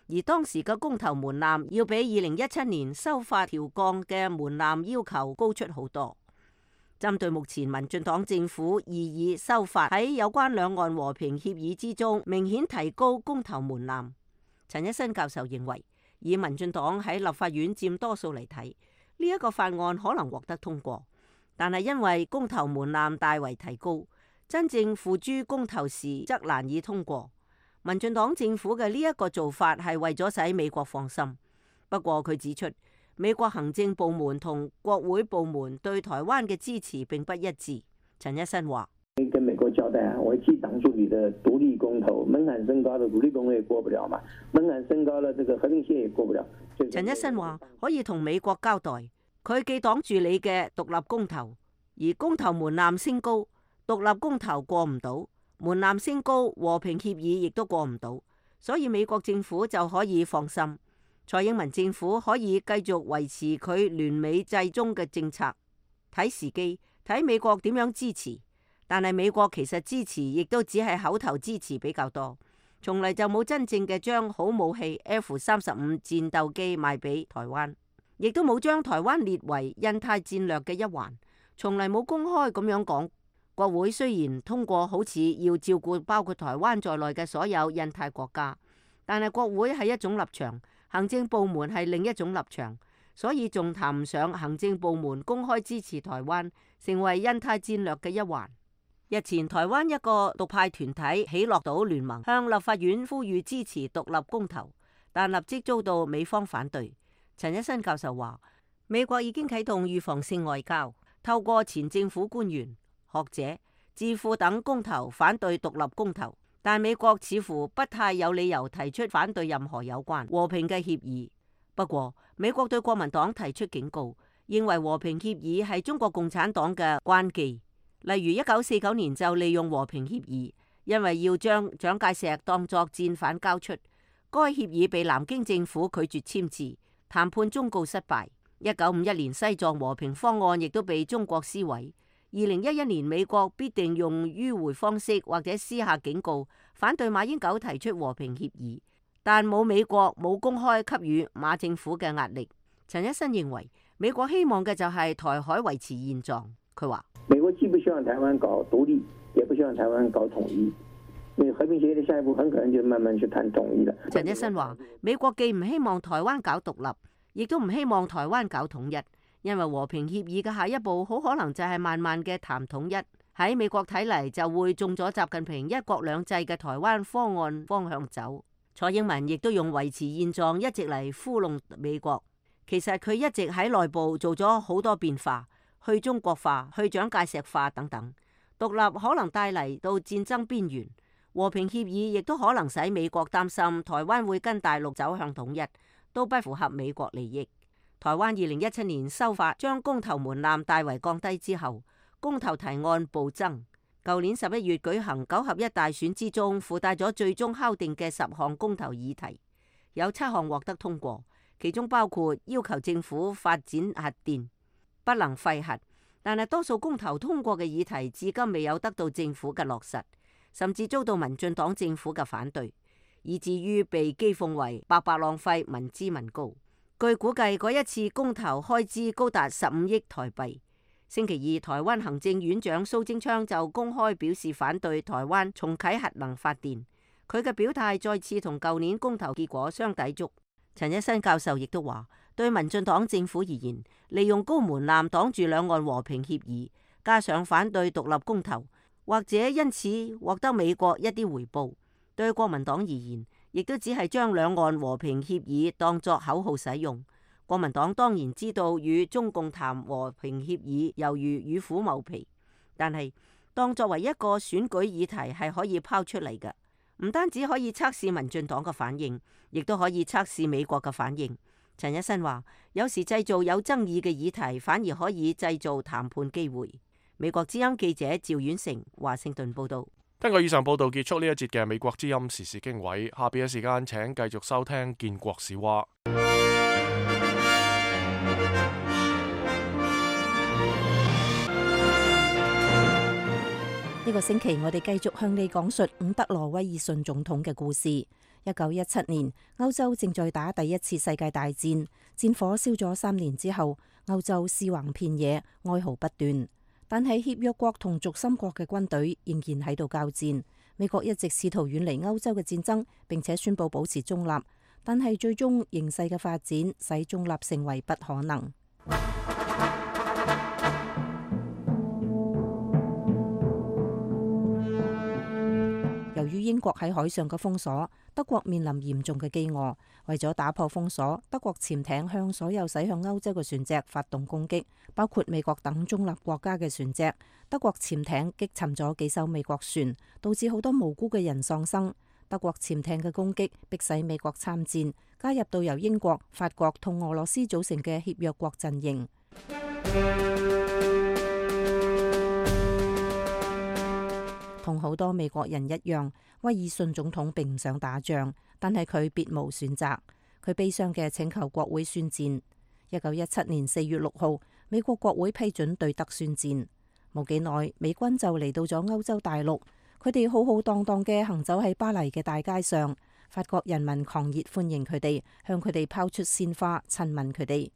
而當時嘅公投門檻要比2017年修法調降嘅門檻要求高出好多。針對目前民進黨政府異議修法喺有關兩岸和平協議之中明顯提高公投門檻，陳一新教授認為，以民進黨喺立法院佔多數嚟睇，呢一個法案可能獲得通過，但係因為公投門檻大為提高，真正付諸公投時則難以通過。民進黨政府嘅呢一個做法係為咗使美國放心。不過佢指出，美國行政部門同國會部門對台灣嘅支持並不一致。陳一新話：跟美國交代啊，我既擋住你的獨立公投，門檻升高了，獨立公投也過不了嘛，門檻升高了，這個和平協議也過不了。陳一新話可以同美國交代，佢既擋住你嘅獨立公投，而公投門檻升高，獨立公投過唔到，門檻升高，和平協議亦都過唔到，所以美國政府就可以放心。蔡英文政府可以繼續維持佢聯美制中嘅政策，睇時機，睇美國點樣支持。但係美國其實支持亦都只係口頭支持比較多，從嚟就冇真正嘅將好武器 F-35戰鬥機賣俾台灣，亦都冇將台灣列為印太戰略嘅一環，從嚟冇公開咁樣講。國會雖然通過好似要照顧包括台灣在內嘅所有印太國家，但係國會係一種立場，行政部門係另一種立場，所以仲談唔上行政部門公開支持台灣成為印太戰略嘅一環。日前台灣一個獨派團體喜樂島聯盟向立法院呼籲支持獨立公投，但立即遭到美方反對。陳一新教授話，美國已經啟動預防性外交，透過前政府官員、學者、智庫等公投反對獨立公投，但美國似乎不太有理由提出反對任何有關和平嘅協議。不過美國對國民黨提出警告，認為和平協議係中國共產黨嘅關記。例如1949年就利用和平協議，因為要將蔣介石當作戰犯交出，該協議被南京政府拒絕簽字，談判終告失敗。1951年西藏和平方案亦都被中國撕毀。2011年美國必定用迂迴方式或者私下警告，反對馬英九提出和平協議，但冇美國冇公開給予馬政府嘅壓力。陳一新認為美國希望嘅就係台海維持現狀。佢話美國既不希望台灣搞獨立，也不希望台灣搞統一。那和平協議的下一步很可能就慢慢去談統一了。陳一新話，美國既唔希望台灣搞獨立，亦都唔希望台灣搞統一，因為和平協議嘅下一步好可能就係慢慢嘅談統一。喺美國睇嚟就會中咗習近平一國兩制嘅台灣方案方向走。蔡英文亦都用維持現狀一直嚟糊弄美國，其實佢一直喺內部做咗好多變化。去中國化、去蔣介石化等等，獨立可能帶嚟到戰爭邊緣，和平協議亦都可能使美國擔心台灣會跟大陸走向統一，都不符合美國利益。台灣2017年修法將公投門檻大為降低之後，公投提案暴增。舊年11月舉行9合1大選之中，附帶咗最終敲定嘅10項公投議題，有7項獲得通過，其中包括要求政府發展核電。不能廢核，但係多數公投通過嘅議題至今未有得到政府嘅落實，甚至遭到民進黨政府嘅反對，以至於被譏諷為白白浪費民脂民膏。據估計，嗰一次公投開支高達15億台幣。星期二，台灣行政院長蘇貞昌就公開表示反對台灣重啟核能發電，佢嘅表態再次同舊年公投結果相抵觸。陳一新教授亦都話，對民進黨政府而言，利用高門檻擋住兩岸和平協議，加上反對獨立公投，或者因此獲得美國一啲回報。對國民黨而言，亦都只係將兩岸和平協議當作口號使用。國民黨當然知道與中共談和平協議猶如與虎謀皮，但係當作為一個選舉議題係可以拋出嚟嘅。唔單止可以測試民進黨嘅反應，亦都可以測試美國嘅反應。陳一新話，有時製造有爭議嘅議題，反而可以製造談判機會。美國之音記者趙婉成華盛頓報道。聽過以上報道，結束呢一節嘅美國之音時事經緯。下邊嘅時間請繼續收聽建國史話。呢個星期我哋繼續向你講述伍德羅威爾遜總統嘅故事。1917年，歐洲正在打第一次世界大戰，戰火燒咗3年之後，歐洲屍橫遍野，哀嚎不斷。但係協約國同軸心國嘅軍隊仍然喺度交戰。美國一直試圖遠離歐洲嘅戰爭，並且宣布保持中立，但係最終形勢嘅發展使中立成為不可能。由於英國喺海上嘅封鎖，德國面臨嚴重嘅飢餓。為咗打破封鎖，德國潛艇向所有駛向歐洲嘅船隻發動攻擊，包括美國等中立國家嘅船隻。德國潛艇擊沉咗幾艘美國船，導致好多無辜嘅人喪生。德國潛艇嘅攻擊迫使美國參戰，加入到由英國、法國同俄羅斯組成嘅協約國陣營。同好多美國人一樣，威爾遜總統並唔想打仗，但係佢別無選擇。佢悲傷嘅請求國會宣戰。1917年4月6號，美國國會批准對德宣戰。冇幾耐，美軍就嚟到咗歐洲大陸，佢哋浩浩蕩蕩嘅行走喺巴黎嘅大街上，法國人民狂熱歡迎佢哋，向佢哋拋出鮮花，親吻佢哋。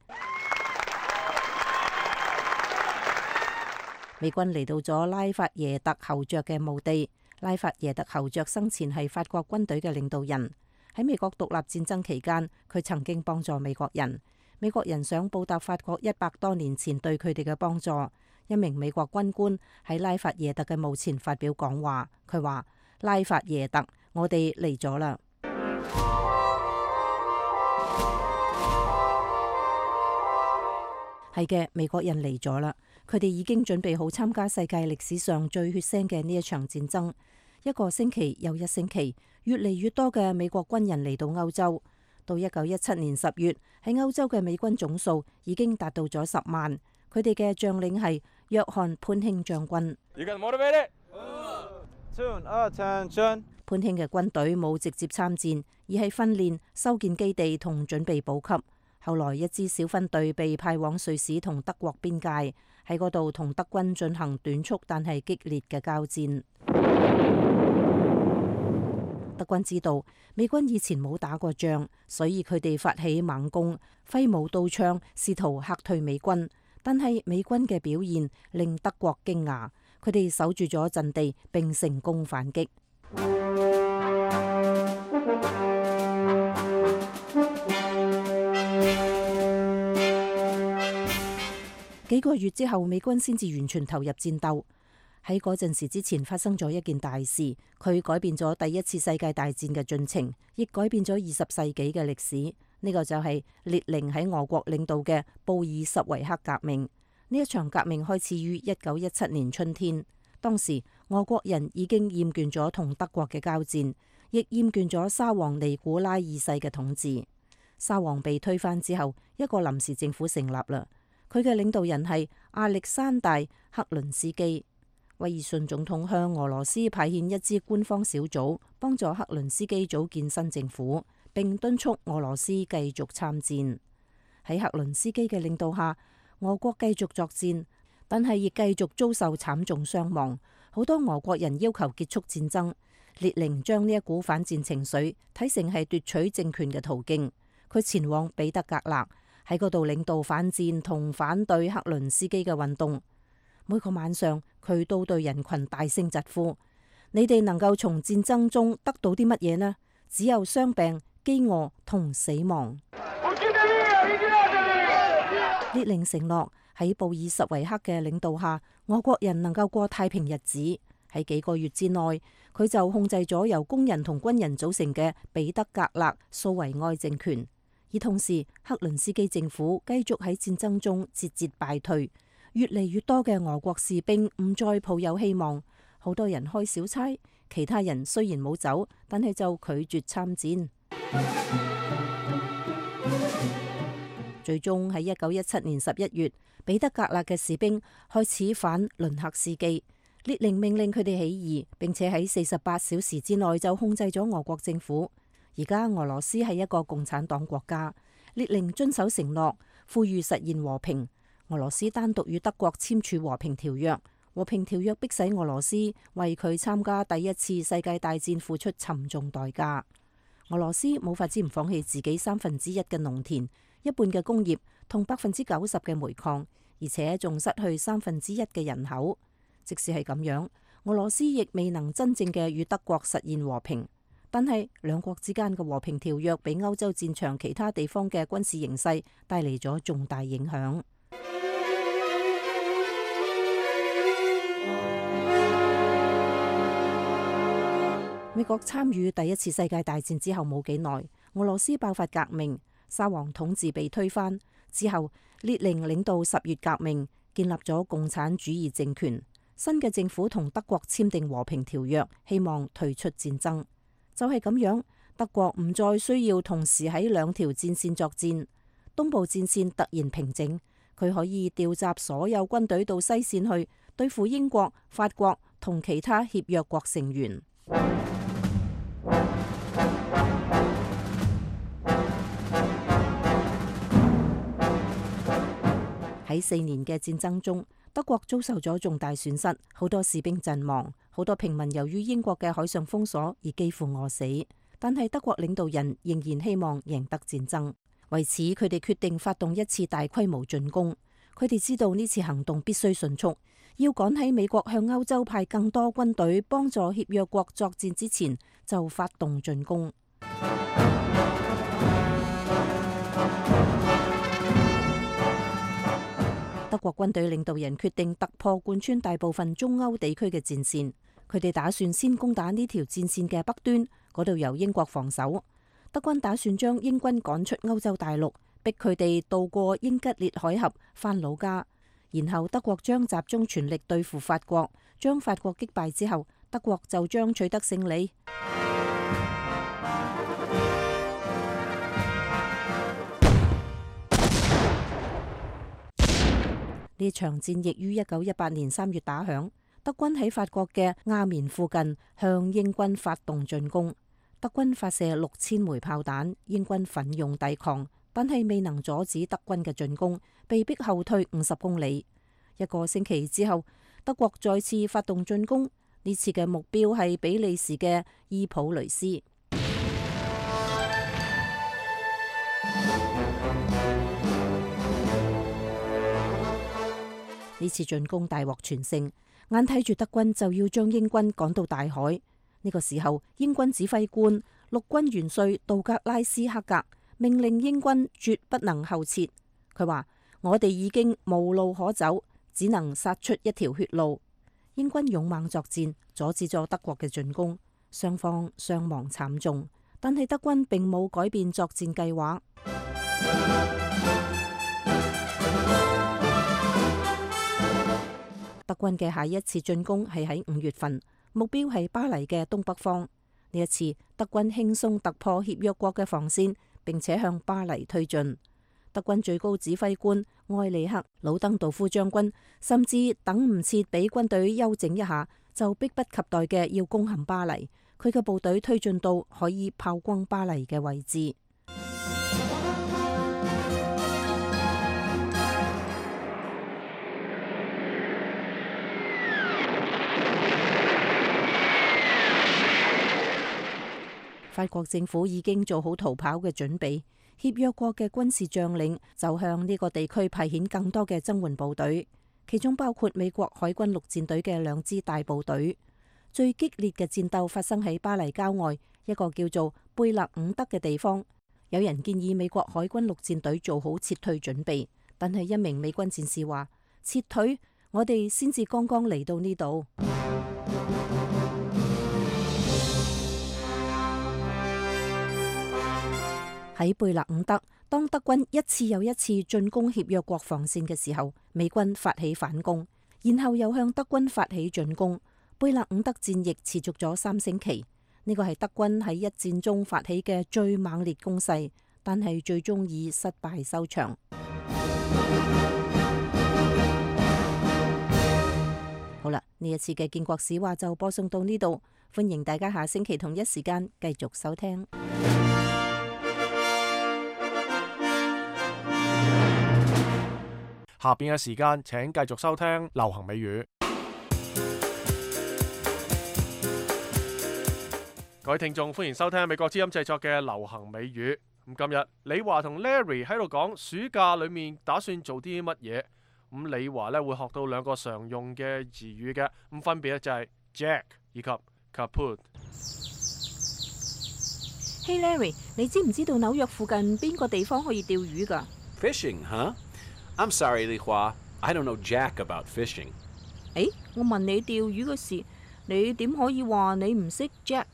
美軍嚟到咗拉法耶特侯爵嘅墓地。拉法耶特侯爵生前係法國軍隊嘅領導人，喺美國獨立戰爭期間，佢曾經幫助美國人。美國人想報答法國100多年前對佢哋嘅幫助。一名美國軍官喺拉法耶特嘅墓前發表講話，佢話：拉法耶特，我哋嚟咗啦。係嘅，美國人嚟咗啦。佢哋已經準備好參加世界歷史上最血腥嘅呢一場戰爭。1個星期又1星期，越嚟越多嘅美國軍人嚟到歐洲。到1917年10月，喺歐洲嘅美軍總數已經達到咗10萬。佢哋嘅將領係約翰潘興將軍。潘興嘅軍隊冇直接參戰，而係訓練、修建基地同準備補給。後來一支小分隊被派往瑞士同德國邊界，喺嗰度同德軍進行短促但係激烈嘅交戰。德軍知道美軍以前冇打過仗，所以佢哋發起猛攻，揮舞刀槍，試圖嚇退美軍。但係美軍嘅表現令德國驚訝，佢哋守住咗陣地並成功反擊。幾個月之後，美軍先至完全投入戰鬥。喺嗰陣時之前發生咗一件大事，佢改變咗第一次世界大戰嘅進程，亦改變咗20世紀嘅歷史。呢個就係列寧喺俄國領導嘅布爾什維克革命。呢一場革命開始於1917年春天。當時俄國人已經厭倦咗同德國嘅交戰，亦厭倦咗沙皇尼古拉二世嘅統治。沙皇被推翻之後，一個臨時政府成立啦。佢嘅領導人係亞歷山大克倫斯基。威爾遜總統向俄羅斯派遣一支官方小組，幫助克倫斯基組建新政府，並敦促俄羅斯繼續參戰。喺克倫斯基嘅領導下，俄國繼續作戰，但係亦繼續遭受慘重傷亡。好多俄國人要求結束戰爭。列寧將呢一股反戰情緒睇成係奪取政權嘅途徑。佢前往彼得格勒，喺嗰度領導反戰同反對克倫斯基嘅運動。每個晚上，佢都對人群大聲疾呼：你哋能夠從戰爭中得到啲乜嘢呢？只有傷病、飢餓同死亡。列寧承諾喺布爾什維克嘅領導下，俄國人能夠過太平日子。喺幾個月之內，佢就控制咗由工人同軍人組成嘅彼得格勒蘇維埃政權。而同時，克倫斯基政府繼續喺戰爭中節節敗退。越嚟越多嘅俄國士兵唔再抱有希望，好多人開小差，其他人雖然冇走，但係就拒絕參戰。最終喺1917年11月，彼得格勒嘅士兵開始反倫克斯基，列寧命令佢哋起義，並且喺48小時之內就控制咗俄國政府。而家俄羅斯係一個共產黨國家，列寧遵守承諾，呼籲實現和平。俄羅斯單獨與德國簽署和平條約，和平條約迫使俄羅斯為佢參加第一次世界大戰付出沉重代價。俄羅斯冇法子唔放棄自己1/3嘅農田、1半嘅工業同90%嘅煤礦，而且仲失去1/3嘅人口。即使係咁樣，俄羅斯亦未能真正嘅與德國實現和平。但係兩國之間嘅和平條約俾歐洲戰場其他地方嘅軍事形勢帶嚟咗重大影響。美國參與第一次世界大戰之後冇幾耐，俄羅斯爆發革命，沙皇統治被推翻之後，列寧領導10月革命，建立咗共產主義政權。新嘅政府同德國簽訂和平條約，希望退出戰爭。就係咁樣，德國唔再需要同時喺2條戰線作戰。東部戰線突然平靜，佢可以調集所有軍隊到西線去對付英國、法國同其他協約國成員。喺4年嘅戰爭中，德國遭受咗重大損失，好多士兵陣亡，好多平民由於英國嘅海上封鎖而幾乎餓死。但係德國領導人仍然希望贏得戰爭，為此佢哋決定發動一次大規模進攻。佢哋知道呢次行動必須迅速，要趕喺美國向歐洲派更多軍隊幫助協約國作戰之前就發動進攻。德國軍隊領導人決定突破貫穿大部分中歐地區嘅戰線，佢哋打算先攻打呢條戰線嘅北端，嗰度由英國防守。德軍打算將英軍趕出歐洲大陸，逼佢哋渡過英吉利海峽返老家，然後德國將集中全力對付法國，將法國擊敗之後，德國就將取得勝利。呢場戰役於1918年3月打響，德軍喺法國嘅亞眠附近向英軍發動進攻。德軍發射6000枚炮彈，英軍奮勇抵抗，但係未能阻止德軍嘅進攻，被迫後退50公里。1個星期之後，德國再次發動進攻，呢次嘅目標係比利時嘅伊普雷斯。呢次進攻大獲全勝，眼睇住德軍就要將英軍趕到大海。呢個時候，英軍指揮官陸軍元帥杜格拉斯克格命令英軍絕不能後撤。佢話：我哋已經無路可走，只能殺出一條血路。英軍勇猛作戰，阻止咗德國嘅進攻，雙方傷亡慘重，但係德軍並冇改變作戰計劃。德軍嘅下一次進攻係喺5月份，目標係巴黎嘅東北方。呢一次，德軍輕鬆突破協約國嘅防線，並且向巴黎推進。德軍最高指揮官埃里克魯登道夫將軍甚至等唔切俾軍隊休整一下，就迫不及待嘅要攻陷巴黎。佢嘅部隊推進到可以炮轟巴黎嘅位置。法國政府已經做好逃跑嘅準備，協約國嘅軍事將領就向呢個地區派遣更多嘅增援部隊，其中包括美國海軍陸戰隊嘅2支大部隊。最激烈嘅戰鬥發生喺巴黎郊外一個叫做貝勒伍德嘅地方。有人建議美國海軍陸戰隊做好撤退準備，但係一名美軍戰士話：撤退？我哋先至剛剛嚟到呢度。喺貝勒伍德，當德軍一次又一次進攻協約國防線嘅時候，美軍發起反攻，然後又向德軍發起進攻。貝勒伍德戰役持續咗3星期，呢個係德軍喺一戰中發起嘅最猛烈攻勢，但係最終以失敗收場。好啦，呢一次嘅建國史話就播送到呢度，歡迎大家下星期同一時間繼續收聽。下邊嘅時間請繼續收聽流行美語。各位聽眾，歡迎收聽美國之音製作嘅流行美語。咁今日李華同 Larry 喺度講暑假裏面打算做啲乜嘢。咁李華咧會學到兩個常用嘅詞語嘅，咁分別咧就係 Jack 以及 Kaput。Hey Larry， 你知唔知道紐約附近邊個地方可以釣魚㗎？ Fishing, huh? I'm sorry, Li Hua. I don't know jack about fishing. 誒，我問你釣魚嘅事，你點可以話你唔識 Jack？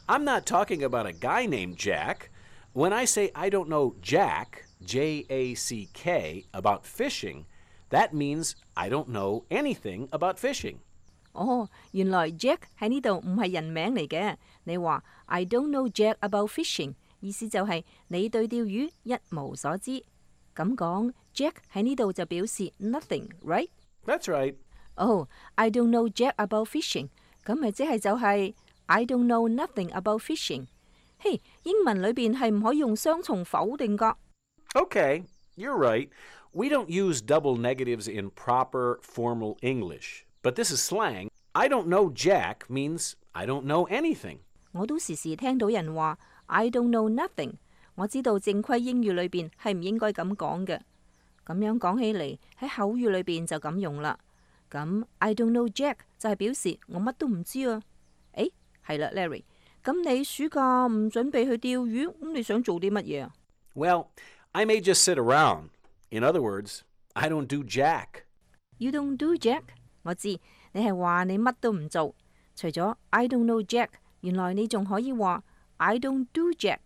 I'm not talking about a guy named Jack. When I say I don't know Jack, J-A-C-K, about fishing, that means I don't know anything about fishing. 哦，原來 Jack 喺呢度唔係人名嚟嘅。你話 I don't know Jack about fishing， 意思就係你對釣魚一無所知。咁講 Jack 喺呢度就表示 nothing，right？ That's right. 哦，I don't know Jack about fishing， 咁咪即係就係 I don't know nothing about fishing。嘿，英文裏邊係唔可以用雙重否定噶。Okay, you're right. We don't use double negatives in proper formal English, but this is slang. I don't know Jack means I don't know anything. 我都時時聽到人話 I don't know nothing。我知道正規英語裏邊係唔應該咁講嘅。咁樣講起嚟喺口語裏邊就咁用啦。咁 I don't know Jack 就係表示我乜都唔知啊。誒，係啦 ，Larry， 咁你暑假唔準備去釣魚，咁你想做啲乜嘢啊？ Well, I may just sit around. In other words, I don't do Jack. You don't do Jack？ 我知你係話你乜都唔做。除咗 I don't know Jack， 原來你仲可以話 I don't do Jack。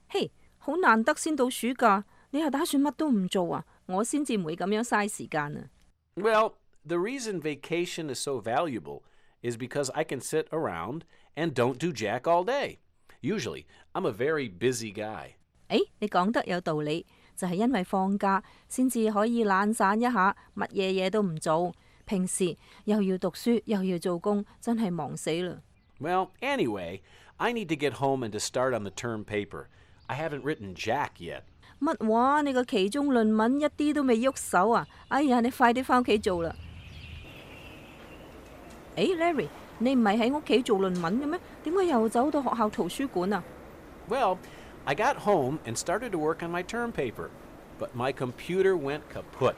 嘿，好難得先到暑假，你係打算乜都唔做啊？我先至唔會咁樣嘥時間啊。Well, the reason vacation is so valuable is because I can sit around and don't do Jack all day. Usually, I'm a very busy guy. 誒，你講得有道理，就係因為放假先至可以懶散一下，乜嘢都唔做。平時又要讀書又要做工，真係忙死啦。Well, anyway, I need to get home and to start on the term paper. I haven't written Jack yet. 乜話？你個期中論文一啲都未喐手啊！哎呀，你快啲返屋企做啦！誒 ，Larry， 你唔係喺屋企做論文嘅咩？點解又走到學校圖書館啊？ Well, I got home and started to work on my term paper, but my computer went kaput.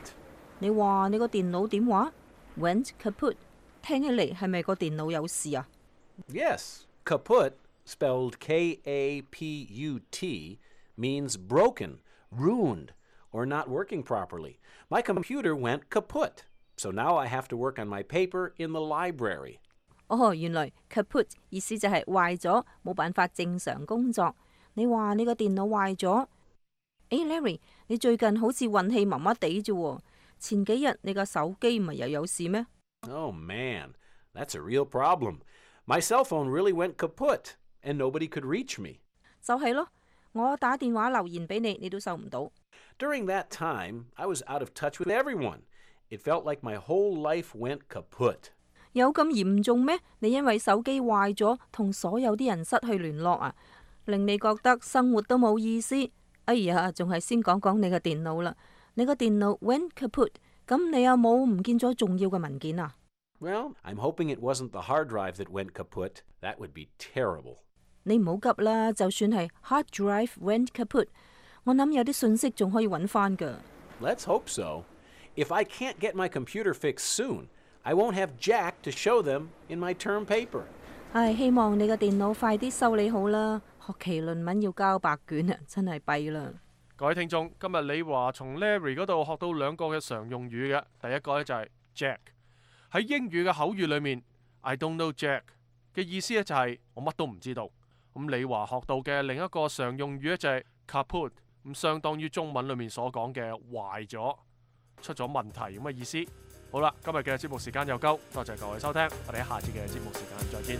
你話你個電腦點話 ？Went kaput， 聽起嚟係咪個電腦有事啊？ Yes, kaput, spelled K-A-P-U-T, means broken, ruined, or not working properly. My computer went kaput, so now I have to work on my paper in the library. 哦，原來 kaput 意思就係壞咗，冇辦法正常工作。你話你個電腦壞咗？誒 ，Larry， 你最近好似運氣麻麻地啫喎。前幾日你個手機唔係又有事咩？ Oh man, that's a real problem. My cell phone really went kaput, and nobody could reach me. 就係咯，我打電話留言俾你，你都收唔到。During that time, I was out of touch with everyone. It felt like my whole life went kaput. 有咁嚴重咩？你因為手機壞咗，同所有啲人失去聯絡啊，令你覺得生活都冇意思。哎呀，仲係先講講你個電腦啦。你個電腦 went kaput， 咁你有冇唔見咗重要嘅文件啊？ Well, I'm hoping it wasn't the hard drive that went kaput. That would be terrible. 你唔好急啦，就算係 hard drive went kaput， 我諗有啲信息仲可以揾翻㗎。 Let's hope so. If I can't get my computer fixed soon, I won't have Jack to show them in my term paper. 唉，希望你個電腦快啲修理好啦。學期論文要交白卷啊，真係弊啦。各位聽眾，今日李華從 Larry 嗰度學到兩個嘅常用語嘅，第一個咧就係 Jack。喺英語嘅口語裏面 ，I don't know Jack 嘅意思咧就係我乜都唔知道。咁李華學到嘅另一個常用語咧就係 kaput， 咁相當於中文裏面所講嘅壞咗、出咗問題咁嘅意思。好啦，今日嘅節目時間又夠，多謝各位收聽，我哋喺下次嘅節目時間再見。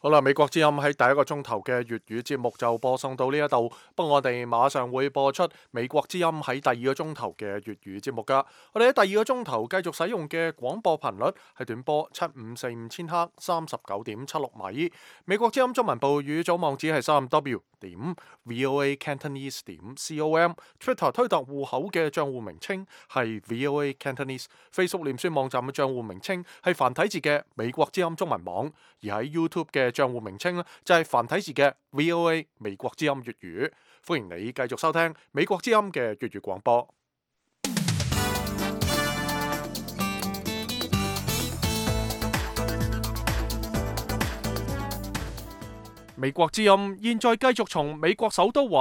好啦，美國之音喺第一個鐘頭嘅粵語節目就播送到呢一度，不過我哋馬上會播出美國之音喺第二個鐘頭嘅粵語節目噶。我哋喺第二個鐘頭繼續使用嘅廣播頻率係短波7545千赫39.76米。美國之音中文部語組網址係3w.voacantonese.com，Twitter 推特戶口嘅賬戶名稱係 VOA Cantonese，Facebook 臉書網站嘅賬戶名稱係繁體字嘅美國之音中文網，而喺 YouTube 嘅賬戶名稱呢，就係繁體字嘅 VOA 美國之音粵語。歡迎你繼續收聽美國之音嘅粵語廣播。美國之音現在繼續從美國首都華